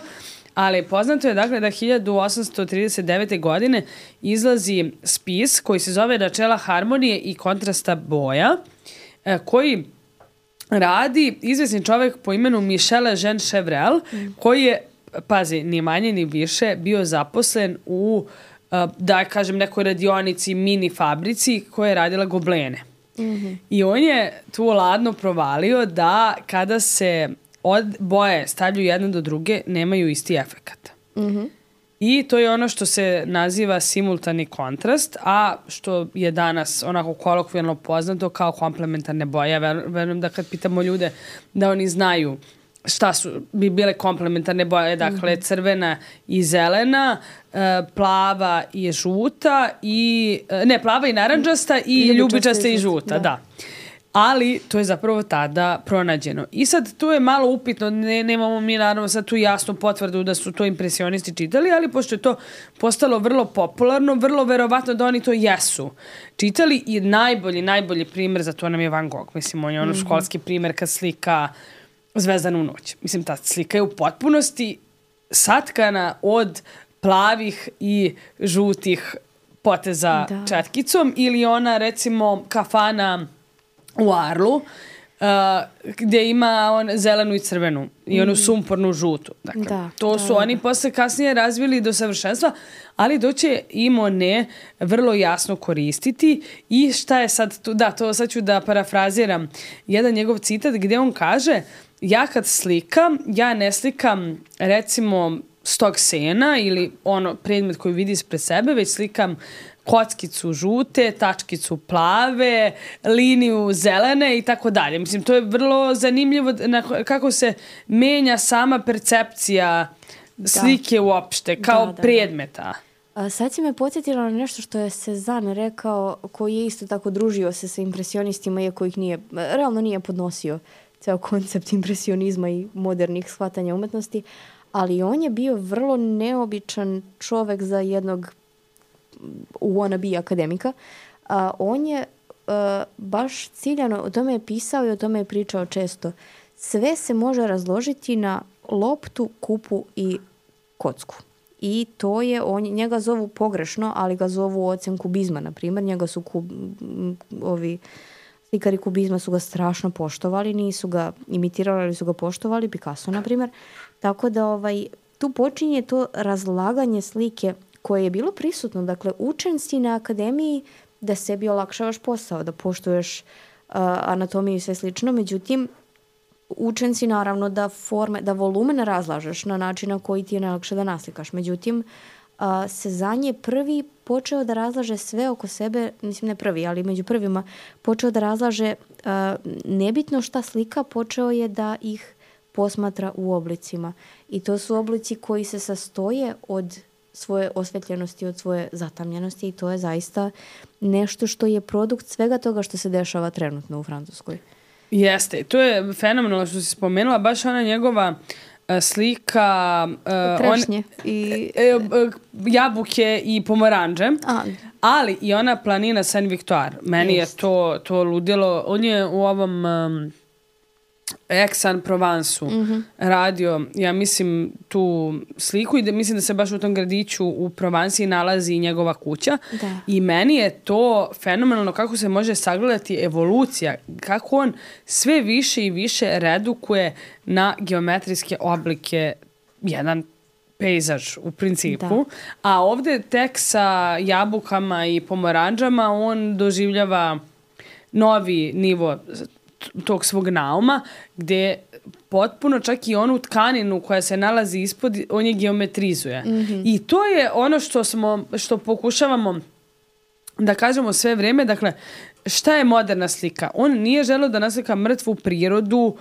ali poznato je dakle da hiljadu osamsto trideset devete. godine izlazi spis koji se zove Načela harmonije i kontrasta boja, koji radi izvesni čovjek po imenu Michel Jean Chevrel, mm. koji je, pazi, ni manje ni više, bio zaposlen u, da kažem, nekoj radionici, mini fabrici koja je radila goblene. Mm-hmm. I on je tu ladno provalio da kada se od boje stavljaju jedne do druge, nemaju isti efekat. Mm-hmm. I to je ono što se naziva simultani kontrast, a što je danas onako kolokvijalno poznato kao komplementarne boje. Ja verujem da kad pitamo ljude da oni znaju šta su bi bile komplementarne boje, dakle mm-hmm. crvena i zelena, plava i žuta i ne, plava i narandžasta i ljubičasta i žuta, da. da. Ali to je zapravo tada pronađeno. I sad tu je malo upitno, ne, nemamo mi naravno sad tu jasnu potvrdu da su to impresionisti čitali, ali pošto je to postalo vrlo popularno, vrlo verovatno da oni to jesu čitali i najbolji, najbolji primjer za to nam je Van Gogh. Mislim, on je ono školski primjer kad slika Zvezdanu noć. Mislim, ta slika je u potpunosti satkana od plavih i žutih poteza da. četkicom ili ona, recimo, kafana u Arlu, uh, gdje ima on zelenu i crvenu i onu sumpornu žutu. Dakle, da, to da, su da. oni posle kasnije razvili do savršenstva, ali doće im one vrlo jasno koristiti. I šta je sad tu? Da, to sad ću da parafraziram jedan njegov citat gdje on kaže: ja kad slikam, ja ne slikam recimo stog sena ili ono predmet koji vidi ispred sebe, već slikam kockicu žute, tačkicu plave, liniju zelene i tako dalje. Mislim, to je vrlo zanimljivo kako se menja sama percepcija slike da. uopšte, kao da, da, predmeta. A sad si me podsjetila na nešto što je Cezanne rekao, koji je isto tako družio se sa impresionistima, iako ih nije, realno nije podnosio ceo koncept impresionizma i modernih shvatanja umetnosti, ali on je bio vrlo neobičan čovek za jednog wannabe akademika. A, on je a, baš ciljano, o tome je pisao i o tome je pričao često. Sve se može razložiti na loptu, kupu i kocku. I to je, on, njega zovu pogrešno, ali ga zovu ocem kubizma, na primjer. Njega su kub, ovi slikari kubizma su ga strašno poštovali, nisu ga imitirali, ali su ga poštovali, Picasso, na primjer. Tako da ovaj, tu počinje to razlaganje slike koje je bilo prisutno. Dakle, učen si na akademiji da sebi olakšavaš posao, da poštuješ uh, anatomiju i sve slično. Međutim, učen si naravno da forme, da volumen razlažeš na način na koji ti je najlakše da naslikaš. Međutim, uh, Cezanne je prvi počeo da razlaže sve oko sebe, mislim ne prvi, ali među prvima, počeo da razlaže uh, nebitno šta slika, počeo je da ih posmatra u oblicima. I to su oblici koji se sastoje od svoje osvetljenosti, od svoje zatamljenosti i to je zaista nešto što je produkt svega toga što se dešava trenutno u Francuskoj. Jeste, to je fenomenalno što si spomenula, baš ona njegova uh, slika uh, trešnje on, i uh, uh, jabuke i pomoranđe, A. ali i ona planina Saint-Victoire. Meni Jest. je to, to ludilo. On je u ovom um, Aix-en-Provensu mm-hmm. radio, ja mislim, tu sliku i da, mislim da se baš u tom gradiću u Provansiji nalazi i njegova kuća. Da. I meni je to fenomenalno kako se može sagledati evolucija, kako on sve više i više redukuje na geometrijske oblike jedan pejzaž u principu. Da. A ovdje tek sa jabukama i pomoranđama on doživljava novi nivo tog svog nauma, gdje potpuno čak i onu tkaninu koja se nalazi ispod, on je geometrizuje. Mm-hmm. I to je ono što smo, što pokušavamo da kažemo sve vrijeme. Dakle, šta je moderna slika? On nije želeo da naslika mrtvu prirodu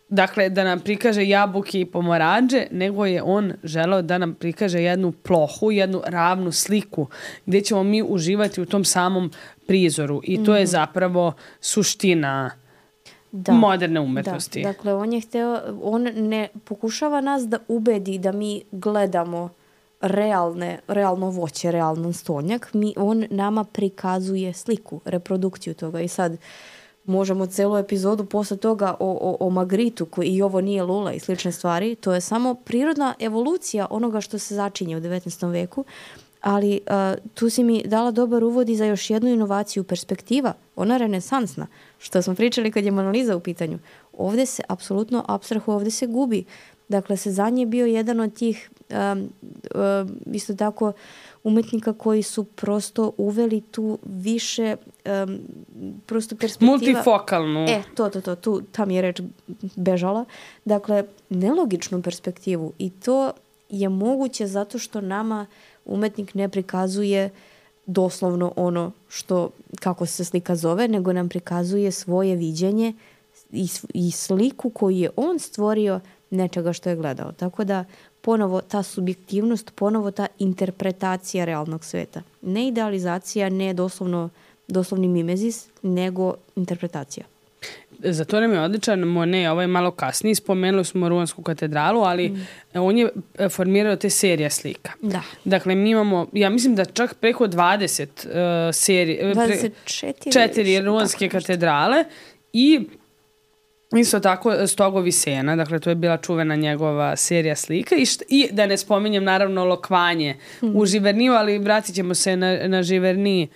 dakle, da nam prikaže jabuke i pomoranđe, nego je on želeo da nam prikaže jednu plohu, jednu ravnu sliku, gdje ćemo mi uživati u tom samom prizoru. I to je zapravo suština da, moderne umetnosti. Da. Dakle, on je hteo, on ne pokušava nas da ubedi da mi gledamo realne, realno voće, realan stonjak. Mi, on nama prikazuje sliku, reprodukciju toga. I sad možemo celu epizodu posle toga o, o, o Magritu koji i ovo nije lula i slične stvari. To je samo prirodna evolucija onoga što se začinje u devetnaestom veku. Ali uh, tu si mi dala dobar uvod i za još jednu inovaciju perspektiva. Ona renesansna, što smo pričali kad je Mona Lisa u pitanju. Ovdje se apsolutno apstrahu, ovdje se gubi. Dakle, Cezanne je bio jedan od tih um, um, isto tako umetnika koji su prosto uveli tu više um, prosto perspektiva. Multifokalnu. E, to, to, to, tu, tam je reč bežala. Dakle, nelogičnu perspektivu i to je moguće zato što nama umetnik ne prikazuje doslovno ono što, kako se slika zove, nego nam prikazuje svoje viđenje i, i sliku koju je on stvorio nečega što je gledao. Tako da ponovo ta subjektivnost, ponovo ta interpretacija realnog sveta. Ne idealizacija, ne doslovno, doslovni mimezis, nego interpretacija. Za to nam je odličan Monet, ovaj malo kasnije, spomenuli smo Ruansku katedralu, ali mm. on je formirao te serije slika. Da. Dakle, mi imamo, ja mislim da čak preko dvadeset uh, serije, dvadeset četiri četiri Ruanske katedrale i isto tako Stogovi sena, dakle to je bila čuvena njegova serija slika i, št, i da ne spominjem naravno Lokvanje mm. u Živerniju, ali vratit ćemo se na, na Živerniji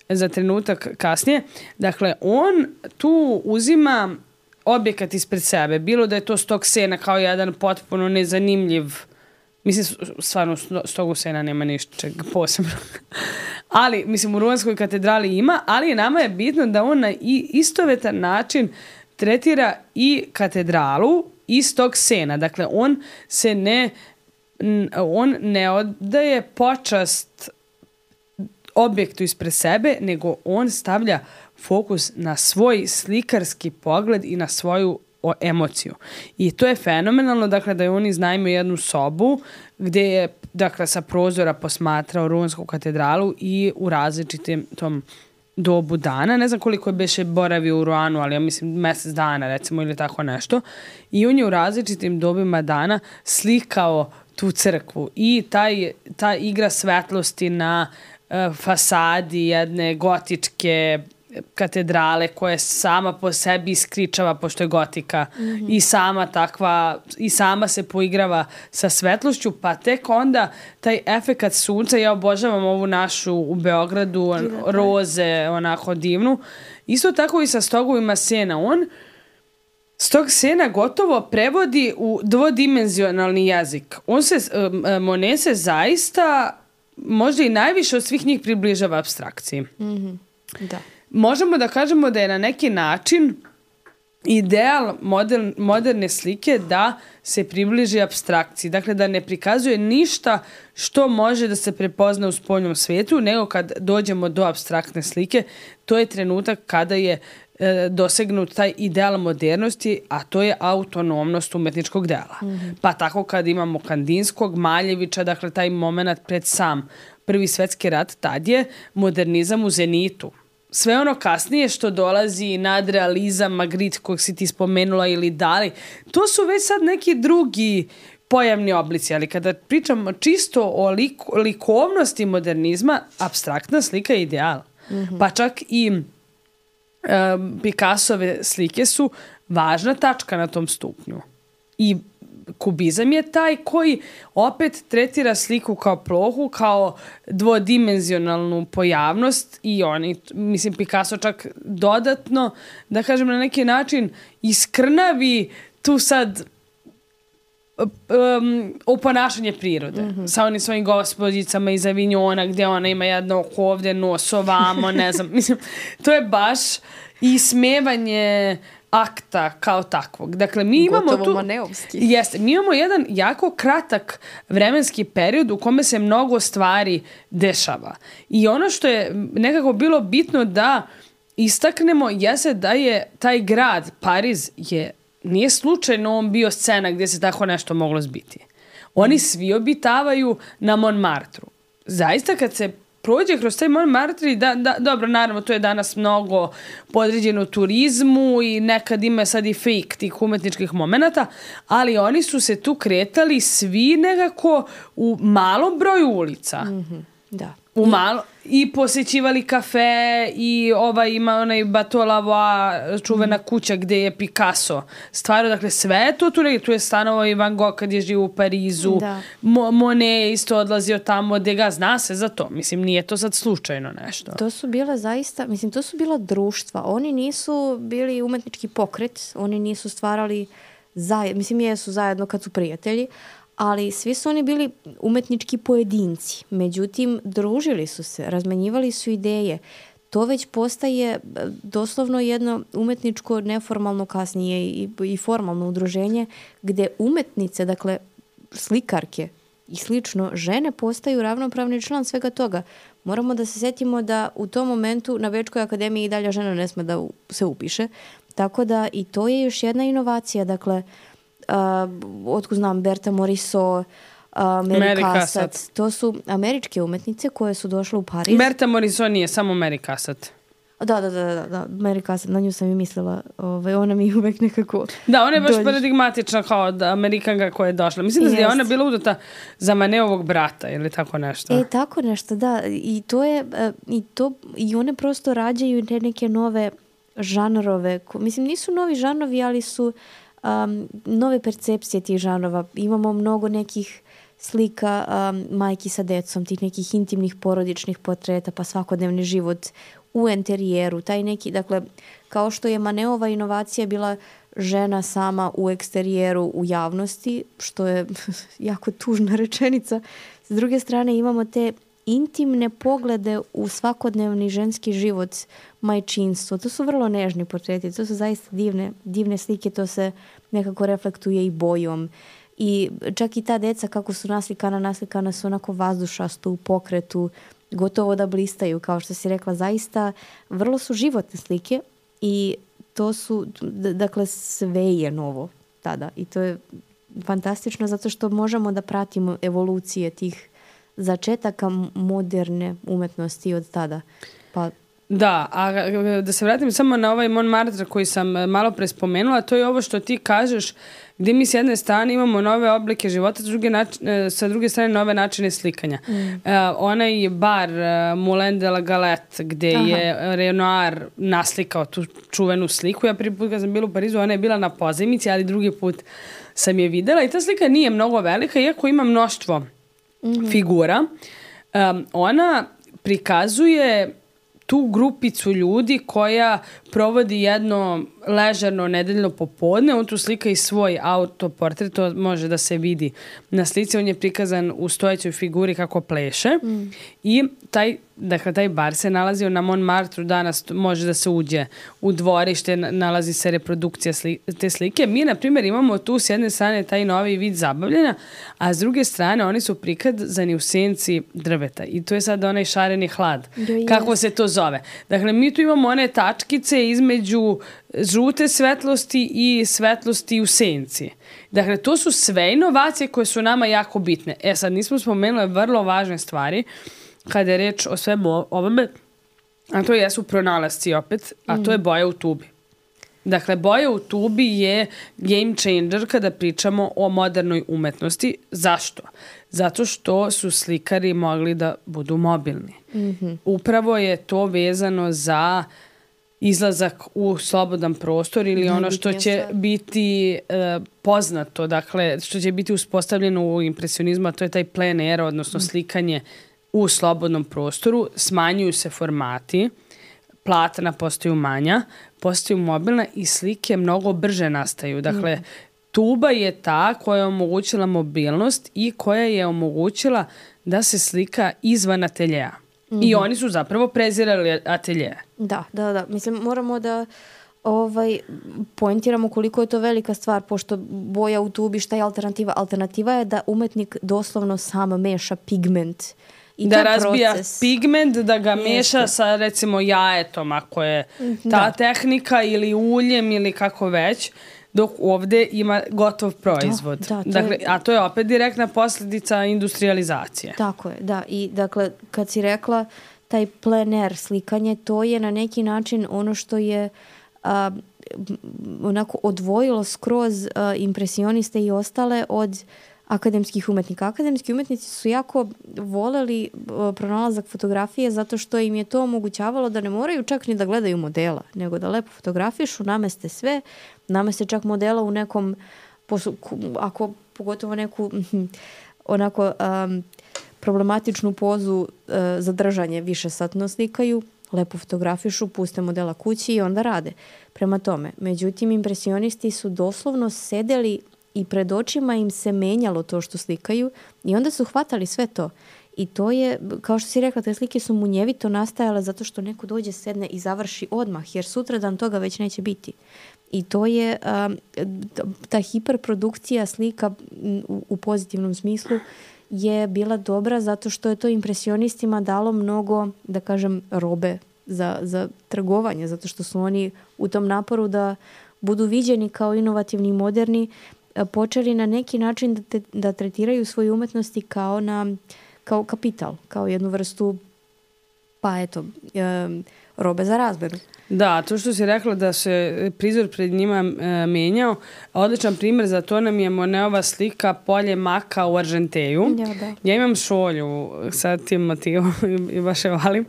za trenutak kasnije. Dakle, on tu uzima objekat ispred sebe. Bilo da je to Stog sena kao jedan potpuno nezanimljiv, mislim, stvarno Stogu sena nema ničeg posebno. Ali, mislim, u Ruanskoj katedrali ima, ali nama je bitno da on na istovetan način tretira i katedralu i Stog sena. Dakle, on se ne, on ne oddaje počast objektu ispred sebe, nego on stavlja fokus na svoj slikarski pogled i na svoju o, emociju. I to je fenomenalno, dakle, da je on iznajmio jednu sobu gdje je, dakle, sa prozora posmatrao Ruansku katedralu i u različitim tom dobu dana. Ne znam koliko je beše boravio u Ruanu, ali ja mislim mjesec dana, recimo, ili tako nešto. I on je u različitim dobima dana slikao tu crkvu. I taj, ta igra svetlosti na fasadi jedne gotičke katedrale koja sama po sebi iskričava pošto je gotika mm-hmm. i sama takva i sama se poigrava sa svetlošću, pa tek onda taj efekat sunca, ja obožavam ovu našu u Beogradu roze, onako divnu, isto tako i sa Stogovima sena. On Stog sena gotovo prevodi u dvodimenzionalni jezik. On se, Monet se zaista možda i najviše od svih njih približava apstrakciji. Mm-hmm. Da. Možemo da kažemo da je na neki način ideal modern, moderne slike da se približi apstrakciji. Dakle, da ne prikazuje ništa što može da se prepozna u spoljnom svijetu, nego kad dođemo do apstraktne slike, to je trenutak kada je e, dosegnut taj ideal modernosti, a to je autonomnost umetničkog dela. Mm-hmm. Pa tako kad imamo Kandinskog, Maljevića, dakle taj moment pred sam Prvi svjetski rat, tad je modernizam u zenitu. Sve ono kasnije što dolazi, nadrealizam, Magritte kojeg si ti spomenula ili Dali, to su već sad neki drugi pojavni oblici, ali kada pričamo čisto o lik, likovnosti modernizma, apstraktna slika je ideal. Mm-hmm. Pa čak i um, Picassove slike su važna tačka na tom stupnju. I kubizam je taj koji opet tretira sliku kao plohu, kao dvodimenzionalnu pojavnost i oni, mislim, Picasso čak dodatno, da kažem na neki način, iskrnavi tu sad um, oponašanje prirode. Mm-hmm. Sa onim svojim gospođicama iz Avignona gdje ona ima jedno oko ovdje, nos ovamo, ne znam. Mislim, to je baš ismevanje akta kao takvog. Dakle, mi imamo gotovo tu... maneovski. Jeste, mi imamo jedan jako kratak vremenski period u kome se mnogo stvari dešava. I ono što je nekako bilo bitno da istaknemo jeste da je taj grad, Pariz, je nije slučajno on bio scena gdje se tako nešto moglo zbiti. Oni svi obitavaju na Montmartru. Zaista kad se prođe kroz taj Montmartre, da, da, dobro, naravno, to je danas mnogo podređeno turizmu i nekad ima sad i fake tih umetničkih momenata, ali oni su se tu kretali svi nekako u malom broju ulica. Mm-hmm. Da. U malo, i posjećivali kafe i ovaj ima onaj Bateau Lavoie, čuvena mm. kuća gdje je Picasso stvarno, dakle sve je to tu, tu je stanovao i Van Gogh kad je živio u Parizu, Mo, Monet je isto odlazio tamo gdje ga zna se za to, mislim nije to sad slučajno nešto. To su bila zaista, mislim to su bila društva, oni nisu bili umetnički pokret, oni nisu stvarali zajedno, mislim jesu zajedno kad su prijatelji, ali svi su oni bili umetnički pojedinci. Međutim, družili su se, razmenjivali su ideje. To već postaje doslovno jedno umetničko, neformalno kasnije i, i formalno udruženje gdje umetnice, dakle slikarke i slično, žene postaju ravnopravni član svega toga. Moramo da se sjetimo da u tom momentu na Bečkoj akademiji i dalje žena ne sme da se upiše. Tako da i to je još jedna inovacija. Dakle, Uh, otkud znam, Berta Morisot, uh, Mary Cassatt. To su američke umetnice koje su došle u Pariz. Berta Morisot nije, samo Mary Cassatt. Da, da, da, da, da. Mary Cassatt, na nju sam i mislila. Ovaj, ona mi uvek nekako... Da, ona je baš paradigmatična kao da Amerikanka koja je došla. Mislim da je ona bila udata za Maneovog brata ili tako nešto. E, tako nešto, da. I to je... Uh, i, to, i one prosto rađaju te neke nove žanrove. Mislim, nisu novi žanrovi, ali su... Um, nove percepcije tih žanrova. Imamo mnogo nekih slika um, majki sa decom, tih nekih intimnih porodičnih portreta, pa svakodnevni život u enterijeru. Taj neki, dakle, kao što je Maneova inovacija bila žena sama u eksterijeru u javnosti, što je jako tužna rečenica. S druge strane imamo te intimne poglede u svakodnevni ženski život, majčinstvo. To su vrlo nežni portreti, to su zaista divne, divne slike, to se nekako reflektuje i bojom. I čak i ta deca kako su naslikana, naslikana su onako vazdušasto u pokretu, gotovo da blistaju, kao što si rekla, zaista vrlo su životne slike i to su, dakle, sve je novo tada i to je fantastično zato što možemo da pratimo evolucije tih začetaka moderne umetnosti od tada. Pa da, a da se vratim samo na ovaj Montmartre koji sam malo pre spomenula, to je ovo što ti kažeš, gdje mi s jedne strane imamo nove oblike života, s druge, način, sa druge strane nove načine slikanja. Mm. Uh, onaj bar uh, Moulin de la Galette, gdje Aha. je Renoir naslikao tu čuvenu sliku. Ja prvi put kad sam bila u Parizu, ona je bila na pozajmici, ali drugi put sam je videla i ta slika nije mnogo velika, iako ima mnoštvo mm-hmm. figura. Um, ona prikazuje tu grupicu ljudi koja provodi jedno ležerno nedeljno popodne. On tu slika i svoj autoportret, to može da se vidi na slici. On je prikazan u stojećoj figuri kako pleše. Mm. I taj, dakle, taj bar se nalazio na Montmartre, danas može da se uđe u dvorište, nalazi se reprodukcija sli, te slike. Mi, na primjer, imamo tu s jedne strane taj novi vid zabavljanja, a s druge strane oni su prikazani u senci drveta. I to je sad onaj šareni hlad. Yes. Kako se to zove? Dakle, mi tu imamo one tačkice između žute svetlosti i svetlosti u senci. Dakle, to su sve inovacije koje su nama jako bitne. E sad, nismo spomenuli vrlo važne stvari kada je reč o svemu ovome, a to jesu pronalasci opet, a to je boja u tubi. Dakle, boja u tubi je game changer kada pričamo o modernoj umetnosti. Zašto? Zato što su slikari mogli da budu mobilni. Mm-hmm. Upravo je to vezano za izlazak u slobodan prostor ili ono što će biti uh, poznato, dakle, što će biti uspostavljeno u impresionizmu, a to je taj plein air, odnosno slikanje u slobodnom prostoru. Smanjuju se formati, platna postaju manja, postaju mobilna i slike mnogo brže nastaju. Dakle, mm. tuba je ta koja je omogućila mobilnost i koja je omogućila da se slika izvan ateljeja. Mm-hmm. I oni su zapravo prezirali atelje. Da, da, da. Mislim, moramo da ovaj, poentiramo koliko je to velika stvar, pošto boja u tubi, šta je alternativa? Alternativa je da umetnik doslovno sam meša pigment. I da razbija proces. Pigment, da ga Jeste. meša sa, recimo, jajetom, ako je ta da. tehnika, ili uljem, ili kako već. dok ovde ima gotov proizvod. Da, da, to dakle, je... A to je opet direktna posljedica industrializacije. Tako je, da. I dakle, kad si rekla taj plein air slikanje, to je na neki način ono što je a, onako odvojilo skroz a, impresioniste i ostale od akademskih umetnika. Akademski umetnici su jako voleli a, pronalazak fotografije zato što im je to omogućavalo da ne moraju čak ni da gledaju modela, nego da lepo fotografišu, nameste sve, nameste čak modela u nekom, ako pogotovo neku onako um, problematičnu pozu uh, za držanje višesatno slikaju, lepo fotografišu, puste modela kući i onda rade. Prema tome, međutim, impresionisti su doslovno sedeli i pred očima im se menjalo to što slikaju i onda su hvatali sve to. I to je, kao što si rekla, te slike su munjevito nastajale zato što neko dođe, sedne i završi odmah, jer sutradan toga već neće biti. I to je um, ta hiperprodukcija slika u, u pozitivnom smislu je bila dobra zato što je to impresionistima dalo mnogo, da kažem, robe za, za trgovanje, zato što su oni u tom naporu da budu viđeni kao inovativni i moderni, počeli na neki način da, te, da tretiraju svoje umetnosti kao, na, kao kapital, kao jednu vrstu, pa eto, um, robe za razmenu. Da, to što si rekla da se prizor pred njima e, menjao, odličan primjer za to nam je Moneova slika Polje maka u Arženteju. Ja, da. Ja imam šolju sa tim motivom i, i baš je valim.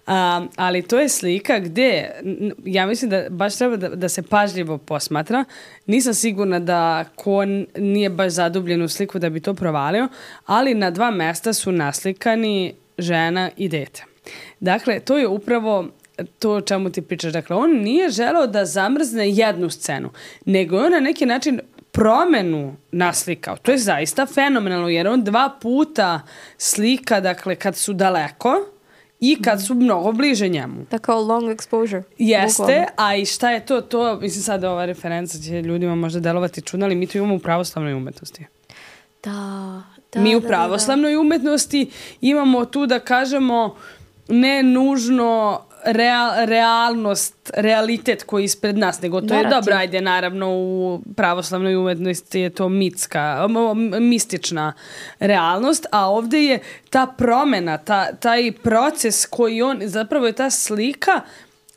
A, ali to je slika gde, ja mislim da baš treba da, da se pažljivo posmatra. Nisam sigurna da ko nije baš zadubljen u sliku da bi to provalio, ali na dva mesta su naslikani žena i dete. Dakle, to je upravo to o čemu ti pričaš. Dakle, on nije želeo da zamrzne jednu scenu, nego je on na neki način promenu naslikao. To je zaista fenomenalno, jer on dva puta slika, dakle, kad su daleko i kad su mnogo bliže njemu. Da, kao long exposure. Jeste, bukvalno. a i šta je to? To, mislim, sad ova referenca će ljudima možda delovati čudno, ali mi to imamo u pravoslavnoj umetnosti. Da, da, mi u da, pravoslavnoj umetnosti imamo tu, da kažemo, ne nužno real, realnost, realitet koji je ispred nas, nego to Narativ. Je dobro, ajde, naravno u pravoslavnoj umetnosti je to mitska, mistična realnost, a ovdje je ta promjena, ta, taj proces koji on, zapravo je ta slika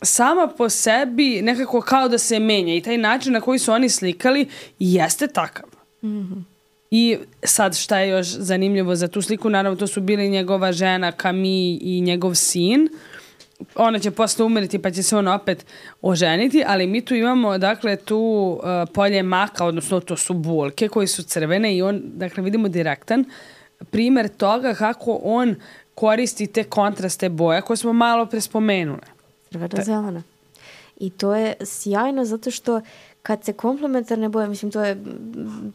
sama po sebi nekako kao da se menja i taj način na koji su oni slikali jeste takav. Mm-hmm. I sad šta je još zanimljivo za tu sliku, naravno to su bili njegova žena Camille i njegov sin. Ona će posle umiriti pa će se on opet oženiti, ali mi tu imamo, dakle, tu uh, polje maka, odnosno to su bulke koje su crvene i on, dakle, vidimo direktan primjer toga kako on koristi te kontraste boje koje smo malo pre spomenule. Crvena zelena. I to je sjajno zato što kad se komplementarne boje, mislim to je,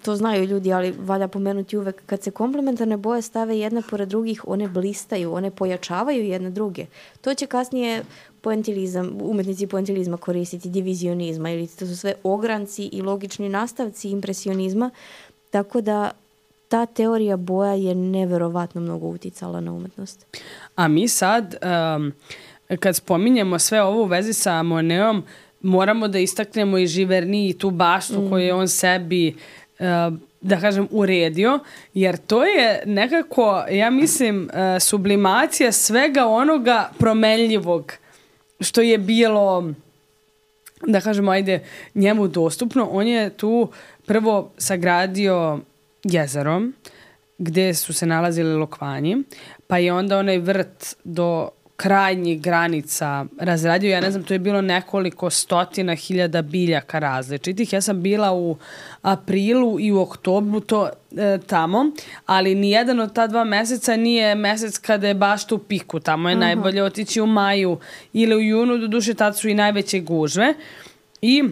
to znaju ljudi, ali valja pomenuti uvek, kad se komplementarne boje stave jedne pored drugih, one blistaju, one pojačavaju jedne druge. To će kasnije poentilizam, umetnici poentilizma koristiti, divizionizma, ili to su sve ogranci i logični nastavci impresionizma, tako da ta teorija boja je neverovatno mnogo uticala na umetnost. A mi sad, um, kad spominjemo sve ovo u vezi sa Monetom, moramo da istaknemo i Giverny i tu baštu mm. koju je on sebi, uh, da kažem, uredio, jer to je nekako, ja mislim, uh, sublimacija svega onoga promenljivog što je bilo, da kažemo, ajde, njemu dostupno. On je tu prvo sagradio jezero gde su se nalazili lokvanji, pa je onda onaj vrt do krajnjih granica razradio. Ja ne znam, to je bilo nekoliko stotina hiljada biljaka različitih. Ja sam bila u aprilu i u oktobru to e, tamo, ali nijedan od ta dva meseca nije mesec kada je baš tu piku. Tamo je uh-huh. najbolje otići u maju ili u junu, do duše tad su i najveće gužve. I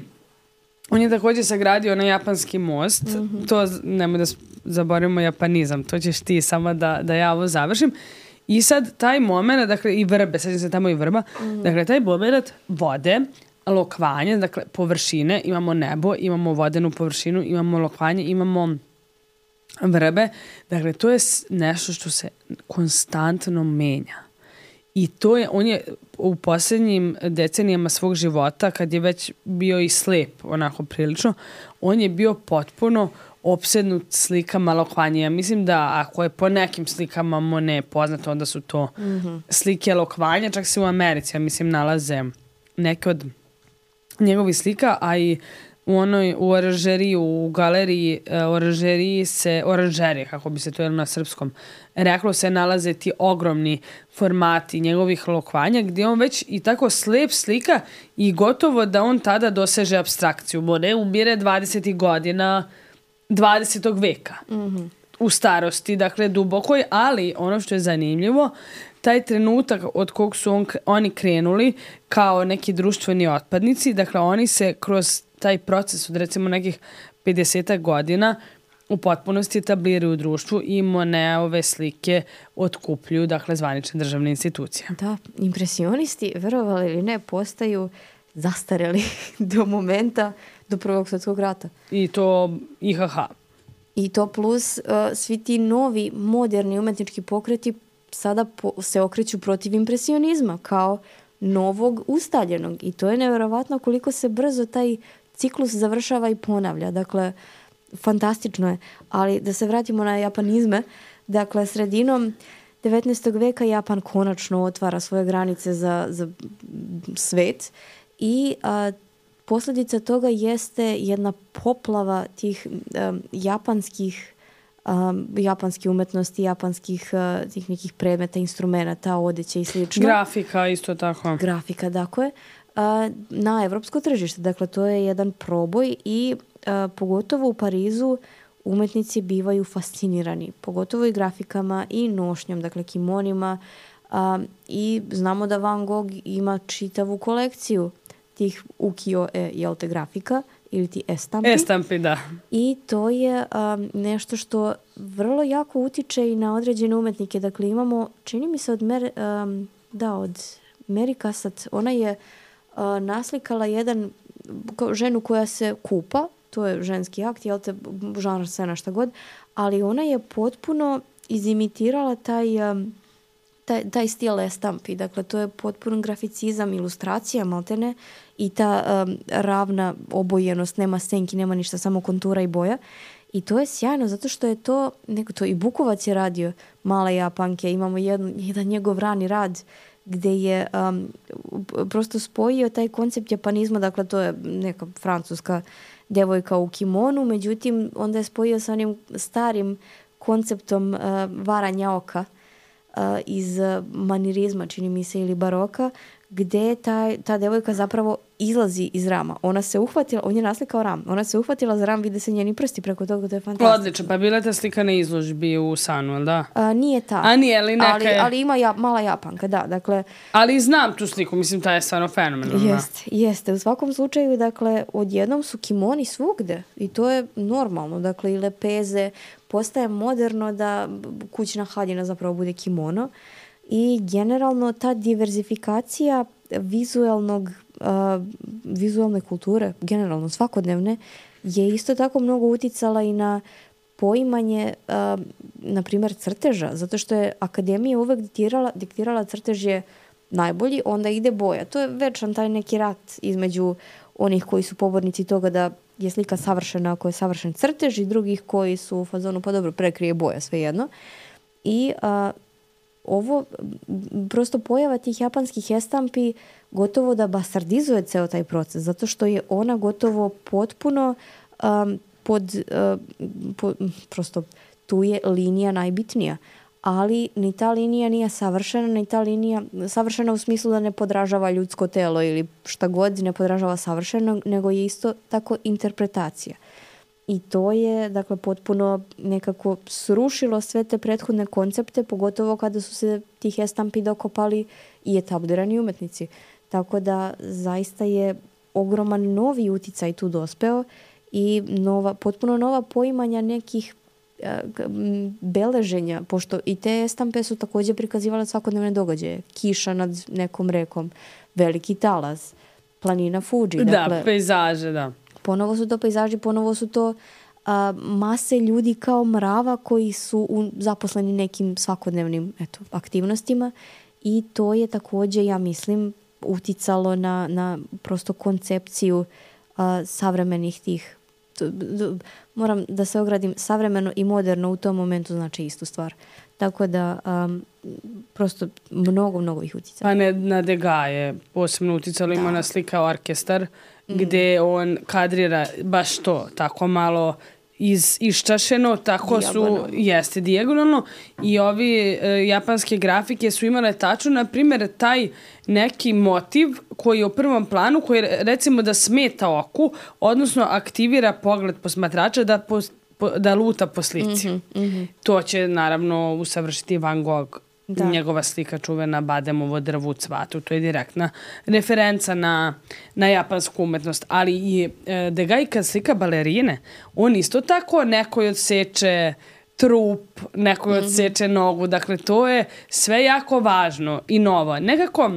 on je također sagradio na japanski most. Uh-huh. To, nemoj da zaboravimo japanizam, to ćeš ti samo da, da ja ovo završim. I sad taj moment, dakle, i vrbe, sad se tamo i vrba, mm. dakle, taj moment vode, lokvanje, dakle, površine, imamo nebo, imamo vodenu površinu, imamo lokvanje, imamo vrbe, dakle, to je nešto što se konstantno menja. I to je, on je u posljednjim decenijama svog života, kad je već bio i slep, onako prilično, on je bio potpuno opsednut slikama elokvanja. Ja mislim da ako je po nekim slikama Monet poznato, onda su to mm-hmm. slike elokvanja, čak se u Americi, ja mislim, nalaze neke od njegovih slika, a i u onoj, u oranžeriji, u galeriji uh, oranžeriji se, oranžerije, kako bi se to jelo na srpskom, reklo se nalaze ti ogromni formati njegovih elokvanja, gdje on već i tako slep slika i gotovo da on tada doseže apstrakciju. Monet umire dvadesetih godina dvadesetog veka. Mm-hmm. U starosti, dakle dubokoj, ali ono što je zanimljivo, taj trenutak od kog su on, oni krenuli kao neki društveni otpadnici, dakle oni se kroz taj proces od recimo nekih pedeset godina u potpunosti etabliraju u društvu i Monetove slike otkupljuju, dakle, zvanične državne institucije. Da, impresionisti, verovali ili ne, postaju zastareli do momenta, do Prvog svjetskog rata. I to I H H. I to plus uh, svi ti novi, moderni umetnički pokreti sada po, se okreću protiv impresionizma kao novog ustaljenog. I to je nevjerovatno koliko se brzo taj ciklus završava i ponavlja. Dakle, fantastično je. Ali da se vratimo na japanizme, dakle, sredinom devetnaestog veka Japan konačno otvara svoje granice za, za svet i a, posljedica toga jeste jedna poplava tih um, japanskih um, japanske umetnosti, japanskih uh, tih nekih predmeta, instrumenta, odeće i slično. Grafika isto tako. Grafika, dakle, uh, na evropsko tržište. Dakle, to je jedan proboj i uh, pogotovo u Parizu umetnici bivaju fascinirani. Pogotovo i grafikama i nošnjom, dakle kimonima. Um, I znamo da Van Gogh ima čitavu kolekciju tih ukiyo-e, jel te, grafika ili ti estampi. Estampi, da. I to je um, nešto što vrlo jako utiče i na određene umetnike. Dakle, imamo, čini mi se od, Mer, um, da, od Mary Cassatt, ona je uh, naslikala jedan, ženu koja se kupa, to je ženski akt, jel te, žanr scena, šta god, ali ona je potpuno izimitirala taj... Um, Taj, taj stil estampi, dakle to je potpuno graficizam, ilustracija, maltene, i ta um, ravna obojenost, nema senki, nema ništa, samo kontura i boja. I to je sjajno, zato što je to, neko to i Bukovac je radio, Male Japanke, imamo jedan, jedan njegov rani rad gde je um, prosto spojio taj koncept japanizma, dakle to je neka francuska devojka u kimonu, međutim onda je spojio sa onim starim konceptom uh, varanja oka, Uh, iz manirizma, čini mi se, ili baroka, gde ta, ta devojka zapravo izlazi iz rama. Ona se uhvatila, on je naslikao ram, ona se uhvatila za ram, vide se njeni prsti preko toga, to je fantastično. Odlično, pa bila ta slika na izložbi u Sanu, ali da? A, nije ta. A nije, ali neka ali, ali ima ja, Mala Japanka, da, dakle... Ali znam tu sliku, mislim, ta je stvarno fenomenalna. Jeste, jeste. U svakom slučaju, dakle, odjednom su kimoni svugde i to je normalno, dakle, i lepeze, postaje moderno da kućna haljina zapravo bude kimono i generalno ta diverzifikacija vizualnog, uh, vizualne kulture, generalno svakodnevne, je isto tako mnogo uticala i na poimanje, uh, na primjer, crteža, zato što je akademija uvek diktirala, diktirala crtež je najbolji, onda ide boja. To je večan taj neki rat između onih koji su pobornici toga da je slika savršena ako je savršen crtež i drugih koji su u fazonu, pa dobro, prekrije boja, svejedno. I a, ovo, prosto pojava tih japanskih estampi gotovo da bastardizuje ceo taj proces, zato što je ona gotovo potpuno um, pod, uh, po, prosto tu je linija najbitnija. Ali ni ta linija nije savršena, ni ta linija savršena u smislu da ne podražava ljudsko telo ili šta god ne podražava savršeno, nego je isto tako interpretacija. I to je, dakle, potpuno nekako srušilo sve te prethodne koncepte, pogotovo kada su se tih estampi dokopali i etablirani umetnici. Tako da zaista je ogroman novi uticaj tu dospeo i nova, potpuno nova poimanja nekih beleženja, pošto i te estampe su također prikazivale svakodnevne događaje. Kiša nad nekom rekom, veliki talas, planina Fuji. Da, dakle, pejzaže, da. Ponovo su to pejzaži, ponovo su to a, mase ljudi kao mrava koji su u, zaposleni nekim svakodnevnim eto, aktivnostima i to je također, ja mislim, uticalo na, na prosto koncepciju uh, savremenih tih, d, d, moram da se ogradim, savremeno i moderno u tom momentu znači istu stvar. Tako da um, prosto mnogo, mnogo ih uticalo. Pa ne, na Degas je posebno uticalo, ima na slika orkestar, mm. gde on kadrira baš to, tako malo iz, iščašeno, tako dijagonalno. Su, jeste dijagonalno, i ovi e, japanske grafike su imale tačno, na primjer, taj neki motiv koji je u prvom planu, koji recimo da smeta oku, odnosno aktivira pogled posmatrača da po, po, da luta po slici. Mm-hmm, mm-hmm. To će naravno usavršiti Van Gogh, da. Njegova slika čuvena Bademovo drvo u cvatu. To je direktna referenca na, na japansku umetnost. Ali i e, Degas kad slika balerine, on isto tako nekoj odseče trup, nekoj mm-hmm. odseče nogu. Dakle, to je sve jako važno i novo. Nekako,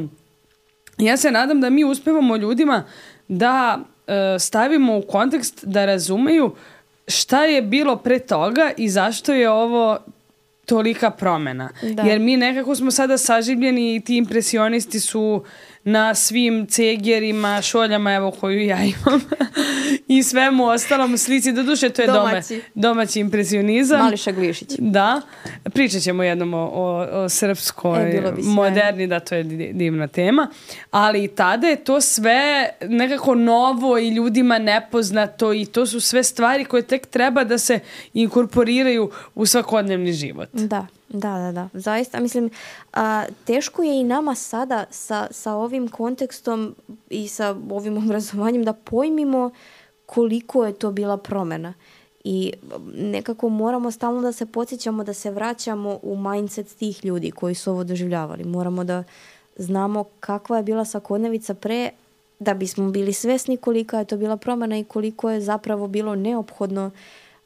ja se nadam da mi uspevamo ljudima da e, stavimo u kontekst da razumeju šta je bilo pre toga i zašto je ovo tolika promena. Da. Jer mi nekako smo sada saživljeni i ti impresionisti su na svim cegerima, šoljama, evo koju ja imam, i svemu ostalom slici. Doduše, to je domaći, doma, domaći impresionizam. Mališa Glišić. Da. Pričat ćemo jednom o, o, o srpskoj e, moderni, da, to je divna tema. Ali i tada je to sve nekako novo i ljudima nepoznato i to su sve stvari koje tek treba da se inkorporiraju u svakodnevni život. Da. Da, da, da. Zaista, mislim, a, teško je i nama sada sa, sa ovim kontekstom i sa ovim obrazovanjem da pojmimo koliko je to bila promjena. I nekako moramo stalno da se podsjećamo, da se vraćamo u mindset tih ljudi koji su ovo doživljavali. Moramo da znamo kakva je bila svakodnevica pre, da bismo bili svesni kolika je to bila promjena i koliko je zapravo bilo neophodno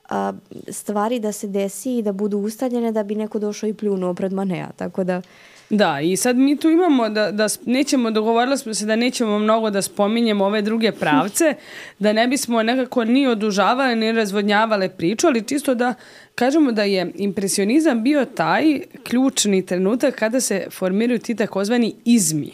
a, stvari da se desi i da budu ustaljene da bi neko došao i pljunuo pred Manea. Tako da... Da, i sad mi tu imamo da, da nećemo, dogovorili smo se da nećemo mnogo da spominjemo ove druge pravce, da ne bismo nekako ni odužavali, ni razvodnjavale priču, ali čisto da kažemo da je impresionizam bio taj ključni trenutak kada se formiraju ti takozvani izmi.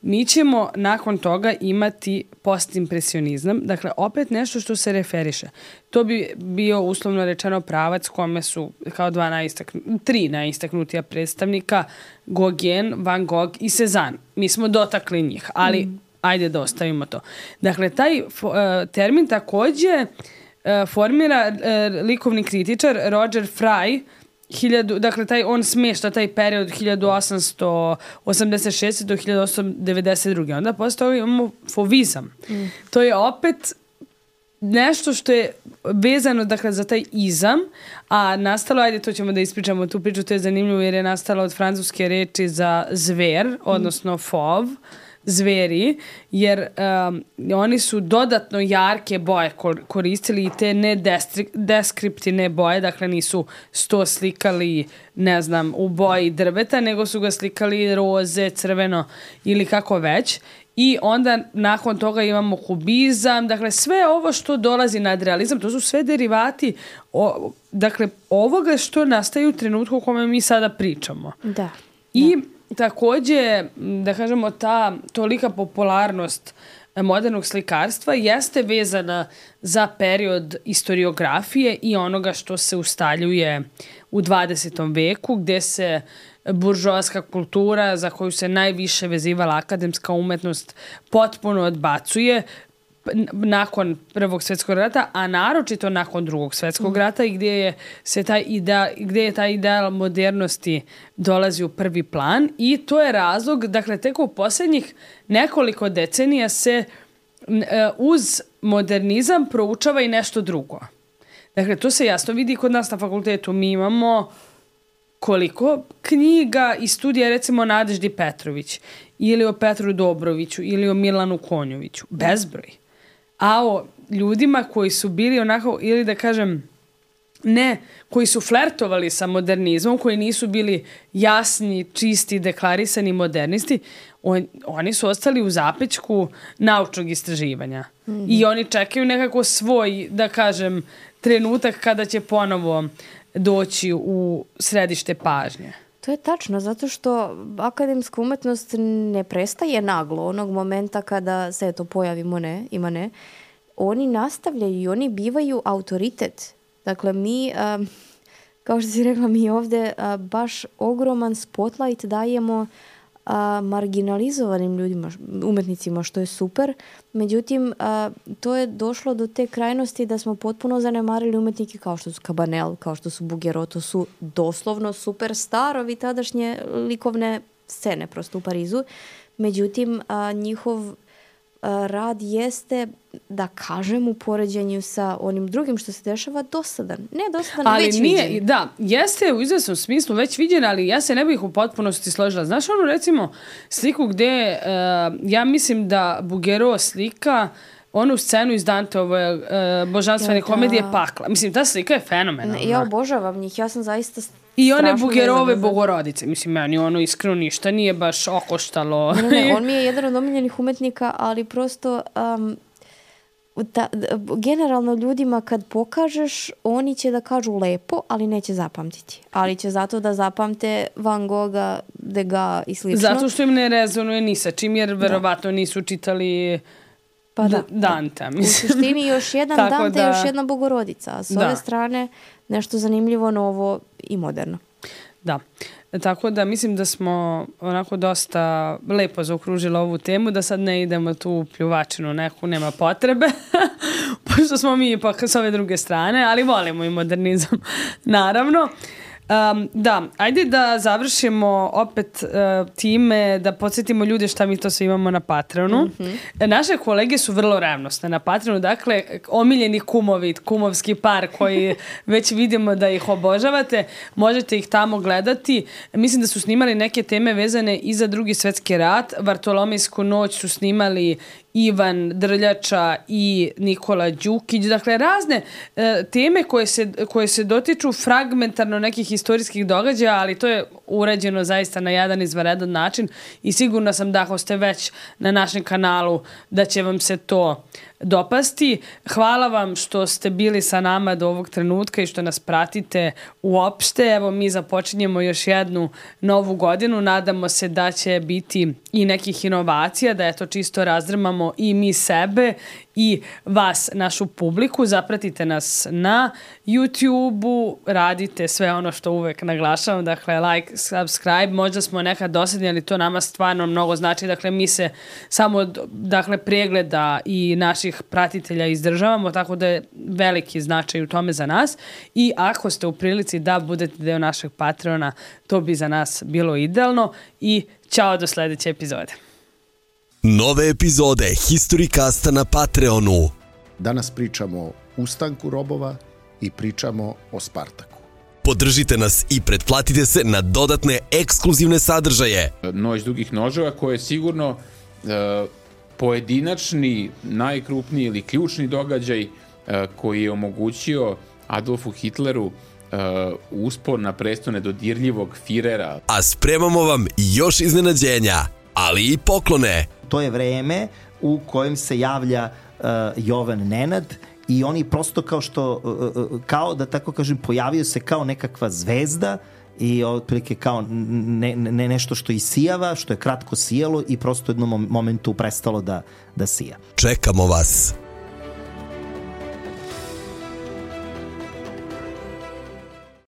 Mi ćemo nakon toga imati postimpresionizam, dakle opet nešto što se referiše. To bi bio uslovno rečeno pravac kome su kao dva najistaknu, tri najistaknutija predstavnika, Gauguin, Van Gogh i Cezanne. Mi smo dotakli njih, ali mm. ajde da ostavimo to. Dakle, taj uh, termin također uh, formira uh, likovni kritičar Roger Fry. Hiljadu, dakle, taj, on smješta taj period od hiljadu osamsto osamdeset šeste do hiljadu osamsto devedeset druge. Onda posle toga imamo fovizam. Mm. To je opet nešto što je vezano, dakle, za taj izam, a nastalo, ajde, to ćemo da ispričamo tu priču, to je zanimljivo jer je nastalo od francuske reči za zver, odnosno fov, zveri, jer um, oni su dodatno jarke boje koristili i te ne deskriptivne boje, dakle nisu sto slikali, ne znam, u boji drveta, nego su ga slikali roze, crveno ili kako već. I onda nakon toga imamo kubizam, dakle sve ovo što dolazi nad realizam, to su sve derivati o, dakle ovoga što nastaje u trenutku u kome mi sada pričamo. Da. I da. Također, da kažemo, ta tolika popularnost modernog slikarstva jeste vezana za period historiografije i onoga što se ustaljuje u dvadesetom veku, gdje se buržoaska kultura, za koju se najviše vezivala akademska umetnost, potpuno odbacuje nakon Prvog svjetskog rata, a naročito nakon Drugog svjetskog rata, i gdje je se taj ideal, gdje je taj ideal modernosti dolazi u prvi plan, i to je razlog, dakle, tek u posljednjih nekoliko decenija se uz modernizam proučava i nešto drugo. Dakle, to se jasno vidi kod nas na fakultetu. Mi imamo koliko knjiga i studija, recimo, o Nadeždi Petrović, ili o Petru Dobroviću, ili o Milanu Konjoviću. Bezbroj. A o ljudima koji su bili onako, ili da kažem, ne, koji su flertovali sa modernizmom, koji nisu bili jasni, čisti, deklarisani modernisti, on, oni su ostali u zapećku naučnog istraživanja. Mm-hmm. I oni čekaju nekako svoj, da kažem, trenutak kada će ponovo doći u središte pažnje. To To je tačno, zato što akademska umetnost ne prestaje naglo onog momenta kada se to pojavi Monet, ima ne. Oni nastavljaju i oni bivaju autoritet. Dakle, mi, a, kao što si rekla, mi ovdje a, baš ogroman spotlight dajemo a, marginalizovanim ljudima, umetnicima, što je super. Međutim, a, to je došlo do te krajnosti da smo potpuno zanemarili umetnike kao što su Cabanel, kao što su Bouguereau, to su doslovno superstarovi tadašnje likovne scene prosto u Parizu. Međutim, a, njihov a, rad jeste, da kažem, u poređenju sa onim drugim što se dešava, dosadan. Ne dosadan, ali već nije, viđen. Da, jeste u izvesnom smislu već viđen, ali ja se ne bih u potpunosti složila. Znaš onu, recimo, sliku gde uh, ja mislim da Bouguereau slika onu scenu iz Danteove uh, božanstvene Ja, da. komedije Pakla. Mislim, ta slika je fenomenalna. Ja obožavam njih, ja sam zaista I one strašno Bouguereauve vezana za- Bogorodice. Mislim, meni ono iskreno ništa nije baš okoštalo. Ne, ne, on mi je jedan od omiljenih umetnika, ali prosto um, ta, d- generalno ljudima kad pokažeš, oni će da kažu lepo, ali neće zapamtiti. Ali će zato da zapamte Van Gogha, Degas i slično. Zato što im ne rezonuje ni sa čim, jer verovatno nisu čitali Pa da. D- Dante. U Mislim. suštini još jedan Tako Dante, da- još jedna Bogorodica. A s Da. ove strane nešto zanimljivo, novo i moderno. Da. Tako da mislim da smo onako dosta lepo zaokružili ovu temu, da sad ne idemo tu u pljuvačinu neku, nema potrebe, pošto smo mi ipak s ove druge strane, ali volimo i modernizam, naravno. Um, da, ajde da završimo opet uh, time, da podsjetimo ljude šta mi to sve imamo na Patreonu. Mm-hmm. Naše kolege su vrlo revnosne na Patreonu, dakle, omiljeni kumovi, kumovski par koji već vidimo da ih obožavate, možete ih tamo gledati. Mislim da su snimali neke teme vezane i za Drugi svetski rat. Vartolomejsku noć su snimali Ivan Drljača i Nikola Đukić. Dakle, razne e, teme koje se, koje se dotiču fragmentarno nekih istorijskih događaja, ali to je urađeno zaista na jedan izvanredan način i sigurna sam da ako ste već na našem kanalu da će vam se to dopasti. Hvala vam što ste bili sa nama do ovog trenutka i što nas pratite uopšte. Evo, mi započinjemo još jednu novu godinu. Nadamo se da će biti i nekih inovacija, da je to čisto razdrmamo i mi sebe i vas, našu publiku. Zapratite nas na YouTube-u, radite sve ono što uvek naglašavam, dakle like, subscribe, možda smo nekad dosadni, ali to nama stvarno mnogo znači, dakle mi se samo od, dakle, pregleda i naših pratitelja izdržavamo, tako da je veliki značaj u tome za nas i ako ste u prilici da budete deo našeg Patreona, to bi za nas bilo idealno i ćao do sledeće epizode. Nove epizode Historicasta na Patreonu. Danas pričamo o ustanku robova i pričamo o Spartaku. Podržite nas i pretplatite se na dodatne ekskluzivne sadržaje. Noć dugih noževa koje je sigurno e, pojedinačni, najkrupniji ili ključni događaj e, koji je omogućio Adolfu Hitleru e, uspon na presto nedodirljivog Firera. A spremamo vam još iznenađenja, ali i poklone. To je vreme u kojem se javlja uh, Jovan Nenad i oni prosto kao što, uh, kao da tako kažem, pojavio se kao nekakva zvezda i otprilike kao ne, ne, nešto što isijava, što je kratko sijalo i prosto u jednom momentu prestalo da, da sija. Čekamo vas.